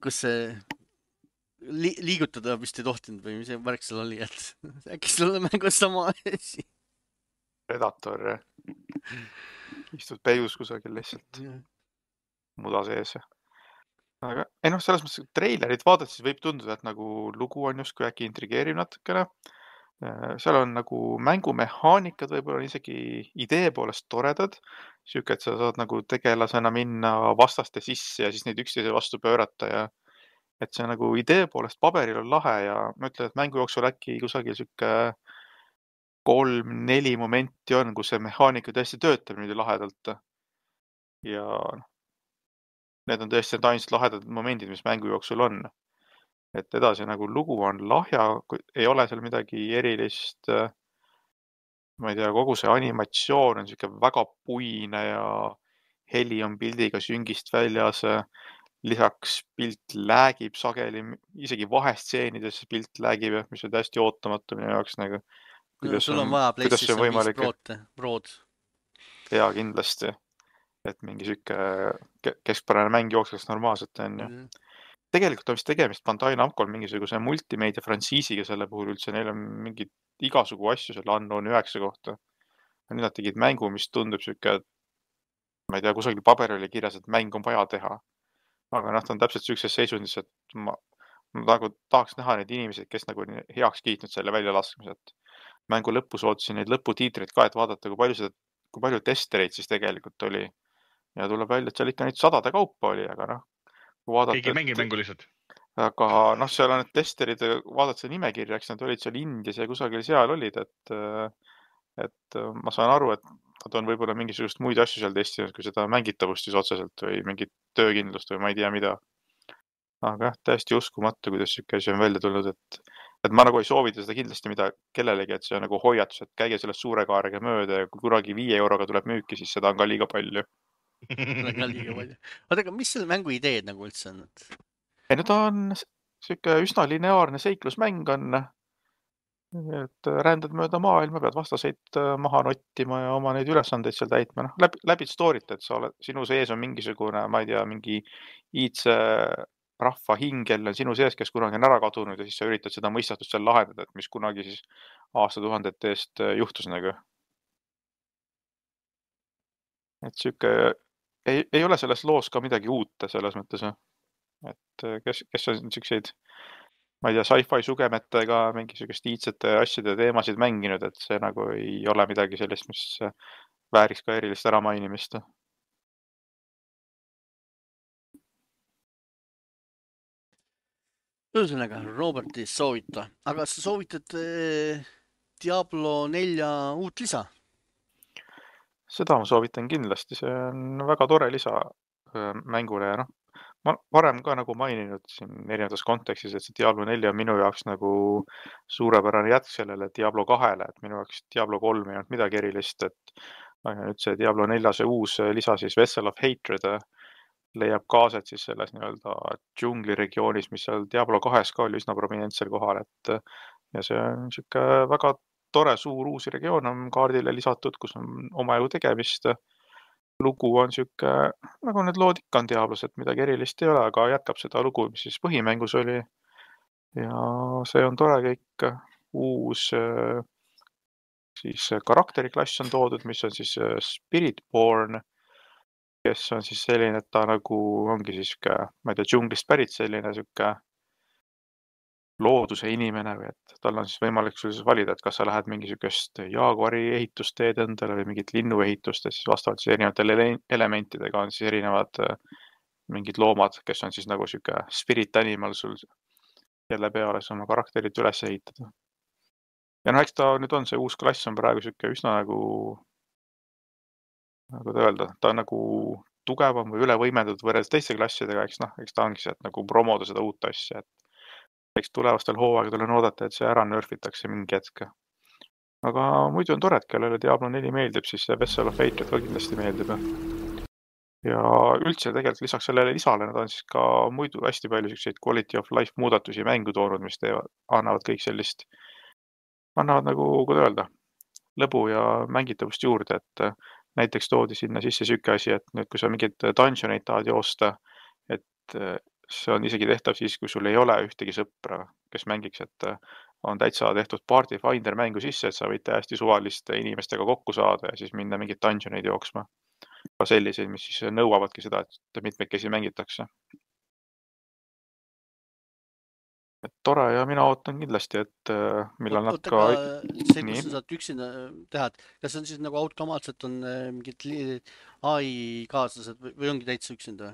kus see li liigutada vist ei tohtinud või mis see värk seal oli, et äkki sulle mängus sama asi? Predator, istud peidus kusagil lihtsalt muda sees. Aga ei noh, selles mõttes treilerit vaadates võib tunduda, et nagu lugu on justkui äkki intrigeeriv natukene. Seal on nagu mängumehaanikad võib-olla on isegi idee poolest toredad. Siuke, et sa saad nagu tegelasena minna vastaste sisse ja siis neid üksteise vastu pöörata ja et see nagu idee poolest paberil on lahe ja ma ütlen, et mängu jooksul äkki kusagil siuke kolm, neli momenti on, kus see mehaanika tõesti töötab niimoodi lahedalt. Ja need on tõesti need ainsad lahedad momendid, mis mängu jooksul on. Et edasi nagu lugu on lahja, ei ole seal midagi erilist. Ma ei tea, kogu see animatsioon on siuke väga puine ja heli on pildiga süngist väljas. Lisaks pilt läägib sageli, isegi vahestseenides pilt läägib, mis on täiesti ootamatu minu jaoks nagu. No, sul on vaja PlayStation viis Prod, Prod. Jaa, kindlasti. Et mingi siuke keskpärane mäng jookseks normaalselt on ju. Mm. Tegelikult on vist tegemist Bandai Namcol mingisuguse multimeedia frantsiisiga selle puhul üldse. Neil on mingi igasugu asju selle Unknown üheksa kohta. Nüüd nad tegid mängu, mis tundub siuke, ma ei tea, kusagil paber oli kirjas, et mäng on vaja teha. Aga noh, ta on täpselt siukses seisundis, et ma, ma nagu tahaks näha neid inimesed, kes nagu heaks kiitnud selle väljalaskmised. Mängu lõpus ootasin neid lõputiitreid ka, et vaadata, kui palju, seda, kui palju testereid siis tegelikult oli. Ja tuleb välja, et seal ikka neid sadade kaupa oli, aga noh. Keegi mängib mängu lihtsalt. Aga noh, seal on need testerid, vaadata see nimekirjaks, nad olid seal Indias ja kusagil seal olid, et, et ma saan aru, et nad on võib-olla mingisugust muid asju seal testinud, kui seda mängitavust siis otseselt või mingit töökindlust või ma ei tea mida. Aga jah, täiesti uskumatu, kuidas siuke asi on välja tulnud, et et ma nagu ei soovita seda kindlasti mida kellelegi, et see on nagu hoiatus, et käige sellest suure kaarega mööda ja kui kuragi viie euroga tuleb müüki, siis seda on ka liiga palju. Ka liiga palju. Oota, aga mis selle mängu ideed nagu üldse on? Ei, no ta on siuke üsna lineaarne seiklusmäng on, et rändad mööda maailma, pead vastaseid maha nottima ja oma neid ülesandeid seal täitma. No, läbi, läbi story't, et sa oled, sinu sees on mingisugune, ma ei tea, mingi iidse rahva hingel on sinu sees, kes kunagi on ära kadunud ja siis sa üritad seda mõistatust seal lahendada, et mis kunagi siis aastatuhandete eest juhtus nagu. et sihuke ei, ei ole selles loos ka midagi uut selles mõttes, et kes, kes on siukseid, ma ei tea, sci-fi sugemetega mingisugust iidsete asjade teemasid mänginud, et see nagu ei ole midagi sellist, mis vääriks ka erilist äramainimist. Ühesõnaga, Robert ei soovita, aga sa soovitad eh, Diablo nelja uut lisa? Seda ma soovitan kindlasti, see on väga tore lisa mängule ja noh, ma varem ka nagu maininud siin erinevates kontekstis, et see Diablo neli on minu jaoks nagu suurepärane jätk sellele Diablo kahele, et minu jaoks Diablo kolm ei olnud midagi erilist, et nüüd see Diablo nelja see uus lisa siis Vessel of Hatred leiab kaased siis selles nii-öelda džungli regioonis, mis seal Diablo kahes ka oli üsna prominentsel kohal, et ja see on siuke väga tore suur uus regioon on kaardile lisatud, kus on omajagu tegemist. Lugu on siuke, nagu need lood ikka on Diablos, et midagi erilist ei ole, aga jätkab seda lugu, mis siis põhimängus oli. Ja see on tore kõik uus siis karakteriklass on toodud, mis on siis Spiritborn, kes on siis selline, et ta nagu ongi siis siuke, ma ei tea, džunglist pärit selline siuke looduse inimene või et tal on siis võimalik sul siis valida, et kas sa lähed mingi siukest jaaguari ehitusteed endale või mingit linnuehitust, et siis vastavalt siis erinevatele elementidega on siis erinevad mingid loomad, kes on siis nagu siuke spirit animal sul jälle peale siis oma karakterit üles ehitada. Ja noh, eks ta nüüd on, see uus klass on praegu siuke üsna nagu nagu ta öelda, ta on nagu tugevam või üle võimendatud võrreldes teiste klassidega, eks noh, eks ta ongi see, et nagu promoda seda uut asja, et eks tulevastel hooaegadel on oodata, et see ära nörfitakse mingi hetk. Aga muidu on tore, et kellele Diablo neli meeldib, siis see Vessel of Hatred ka kindlasti meeldib. Ja üldse tegelikult lisaks sellele lisale nad on siis ka muidu hästi palju selliseid quality of life muudatusi mängu toonud, mis teevad, annavad kõik sellist, annavad nagu, kuidas öelda, lõbu ja mängitavust juurde, et näiteks toodi sinna sisse siuke asi, et nüüd, kui sa mingid dungeoneid tahad joosta, et see on isegi tehtav siis, kui sul ei ole ühtegi sõpra, kes mängiks, et on täitsa tehtud Party Finder mängu sisse, et sa võid täiesti suvaliste inimestega kokku saada ja siis minna mingid dungeoneid jooksma. Ka selliseid, mis siis nõuavadki seda, et mitmekesi mängitakse. Et tore ja mina ootan kindlasti, et millal nad ka... See, kus sa saad üksinda teha, kas on siis nagu automaatselt on mingid A I kaaslased või ongi täitsa üksinda?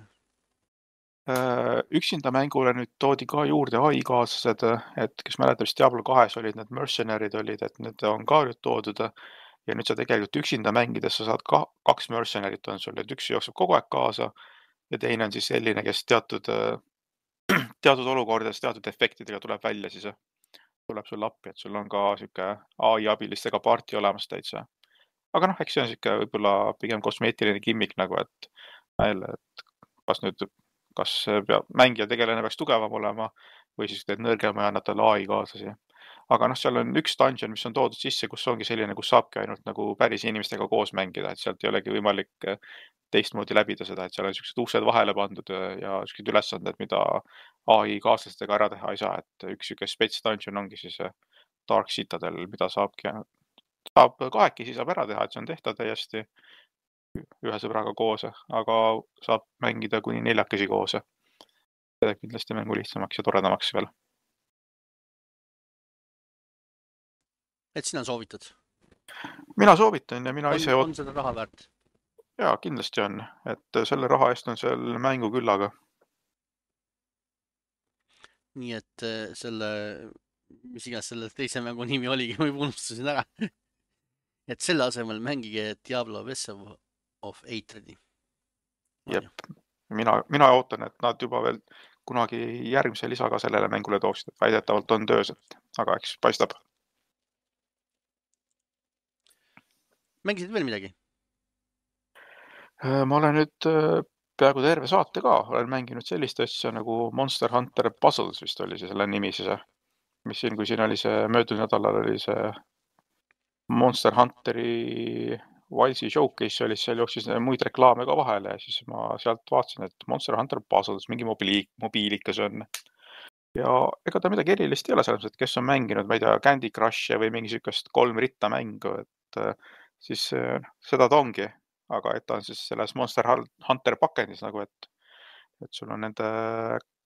Üksinda mängule nüüd toodi ka juurde A I kaaslased, et kes mäletab, siis Diablo kahes olid need mercenarid olid, et need on ka nüüd toodud ja nüüd sa tegelikult üksinda mängides sa saad ka kaks mercenarit on sul, et üks jookseb kogu aeg kaasa ja teine on siis selline, kes teatud teatud olukordades teatud efektidega tuleb välja siis, tuleb sul appi, et sul on ka siuke A I abilistega parti olemas täitsa. Aga noh, eks see on siuke võib-olla pigem kosmeetiline gimmick nagu, et, et kas nüüd, kas peab, mängija tegelane peaks tugevam olema või siis teed nõrgema ja annad talle A I kaaslasi. Aga noh, seal on üks dungeon, mis on toodud sisse, kus ongi selline, kus saabki ainult nagu päris inimestega koos mängida, et sealt ei olegi võimalik teistmoodi läbida seda, et seal on siuksed uksed vahele pandud ja siuksed ülesanded, mida A I kaaslastega ära teha ei saa, et üks siuke spets dungeon ongi siis Dark Citadel, mida saabki, saab kahekesi saab ära teha, et see on tehtav täiesti ühe sõbraga koos, aga saab mängida kuni neljakesi koos. Seda kindlasti mängu lihtsamaks ja toredamaks veel. Et sina soovitad? Mina soovitan ja mina on, ise... On seda raha väärt? Jaa, kindlasti on, et selle raha eest on seal mängu küllaga. Nii et selle, mis igas selle teise mängu nimi oligi, ma juba unustasin ära. Et selle asemel mängige Diablo Vessel of Hatred'i. Jep, mina, mina ootan, et nad juba veel kunagi järgmise lisaga sellele mängule tooksid, et väidetavalt on töös, aga eks paistab. Mängisid veel midagi? Ma olen nüüd peaaegu terve saate ka, olen mänginud sellist asja nagu Monster Hunter Puzzles vist oli see selle nimi siis, mis siin, kui siin oli see möödunud nädalal oli see Monster Hunteri Wilds'i showcase oli, seal jooksis muid reklaame ka vahele ja siis ma sealt vaatasin, et Monster Hunter Puzzles mingi mobiili, mobiilikas on. Ja ega ta midagi erilist ei ole selles, et kes on mänginud, ma ei tea, Candy Crush või mingi sükest kolm ritta mängu, et siis seda ta ongi. aga et ta on siis selles Monster Hunter pakendis nagu, et, et sul on nende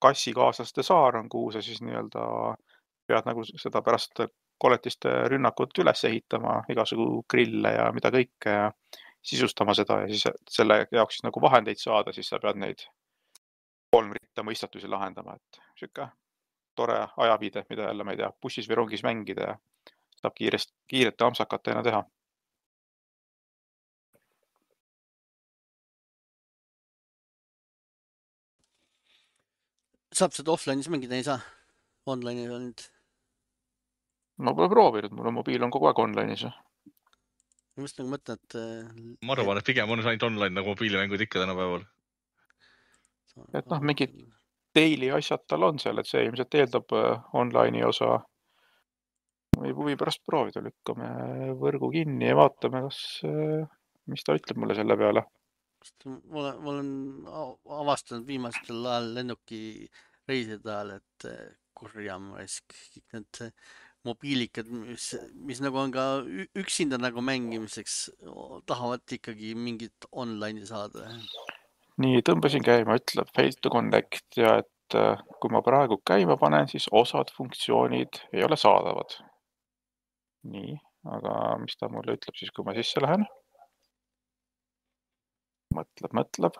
kassikaaslaste saar on, kuhu sa siis nii-öelda pead nagu seda pärast koletiste rünnakut üles ehitama, igasugu grille ja mida kõike ja sisustama seda ja siis selle jaoks siis nagu vahendeid saada, siis sa pead neid kolm ritta mõistatusi lahendama, et siuke tore ajaviide, mida jälle, ma ei tea, bussis või rongis mängida ja saab kiirest, kiirete amsakatena teha. Saab seda offline'is mängida, ei saa? Online'is on nüüd. Ma pole proovinud, mul on mobiil on kogu aeg online'is. Ma just nagu mõtlen, et... Ma arvan, et pigem on ainult online nagu mobiilimängud ikka tänapäeval. Et noh, mingid daily asjad tal on seal, et see ilmselt eeldab online'i osa. Võib huvi pärast proovida, lükkame võrgu kinni ja vaatame, kas, mis ta ütleb mulle selle peale. Ma olen avastanud viimastel ajal lennuki reiside ajal, et kurjam raisk, kõik need mobiilikad, mis, mis nagu on ka üksinda nagu mängimiseks, tahavad ikkagi mingit online'i saada. Nii, tõmbasin käima, ütleb fail to connect ja et kui ma praegu käima panen, siis osad funktsioonid ei ole saadavad. Nii, aga mis ta mulle ütleb siis, kui ma sisse lähen? Mõtleb, mõtleb.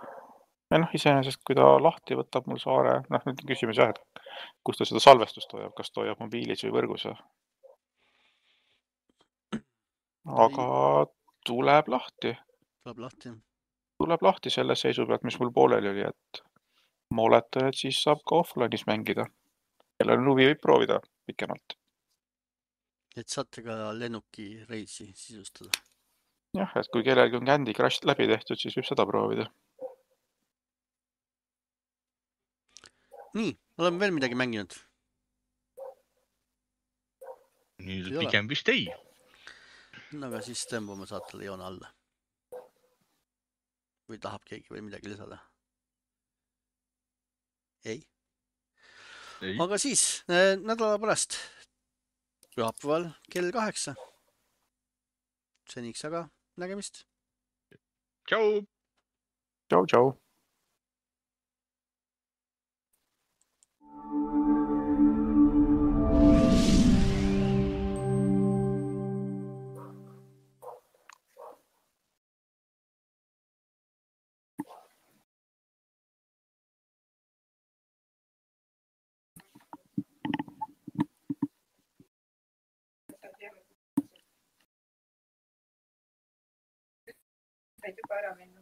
Ja noh, iseenesest, kui ta lahti võtab mul saare, noh, nüüd on küsimus jah, et kus ta seda salvestust hoiab, kas ta hoiab mobiilis või võrgus. Aga tuleb lahti. Tuleb lahti. Tuleb lahti selle seisu pealt, mis mul pooleli oli, et ma oletan, et siis saab ka offline'is mängida. Kellel on huvi võib proovida pikemalt. Et saate ka lennuki reisi sisustada. Jah, et kui kellelgi on Candy Crush läbi tehtud, siis võib seda proovida. Nii, oleme veel midagi mänginud? Nüüd pigem vist ei. No aga siis tõmbame saatele joone alla. Või tahab keegi veel midagi lisada? Ei? ei. Aga siis nädala pärast pühapäeval kell kaheksa. Seniks aga nägemist. Tšau! Tšau, tšau! Said juba ära minna.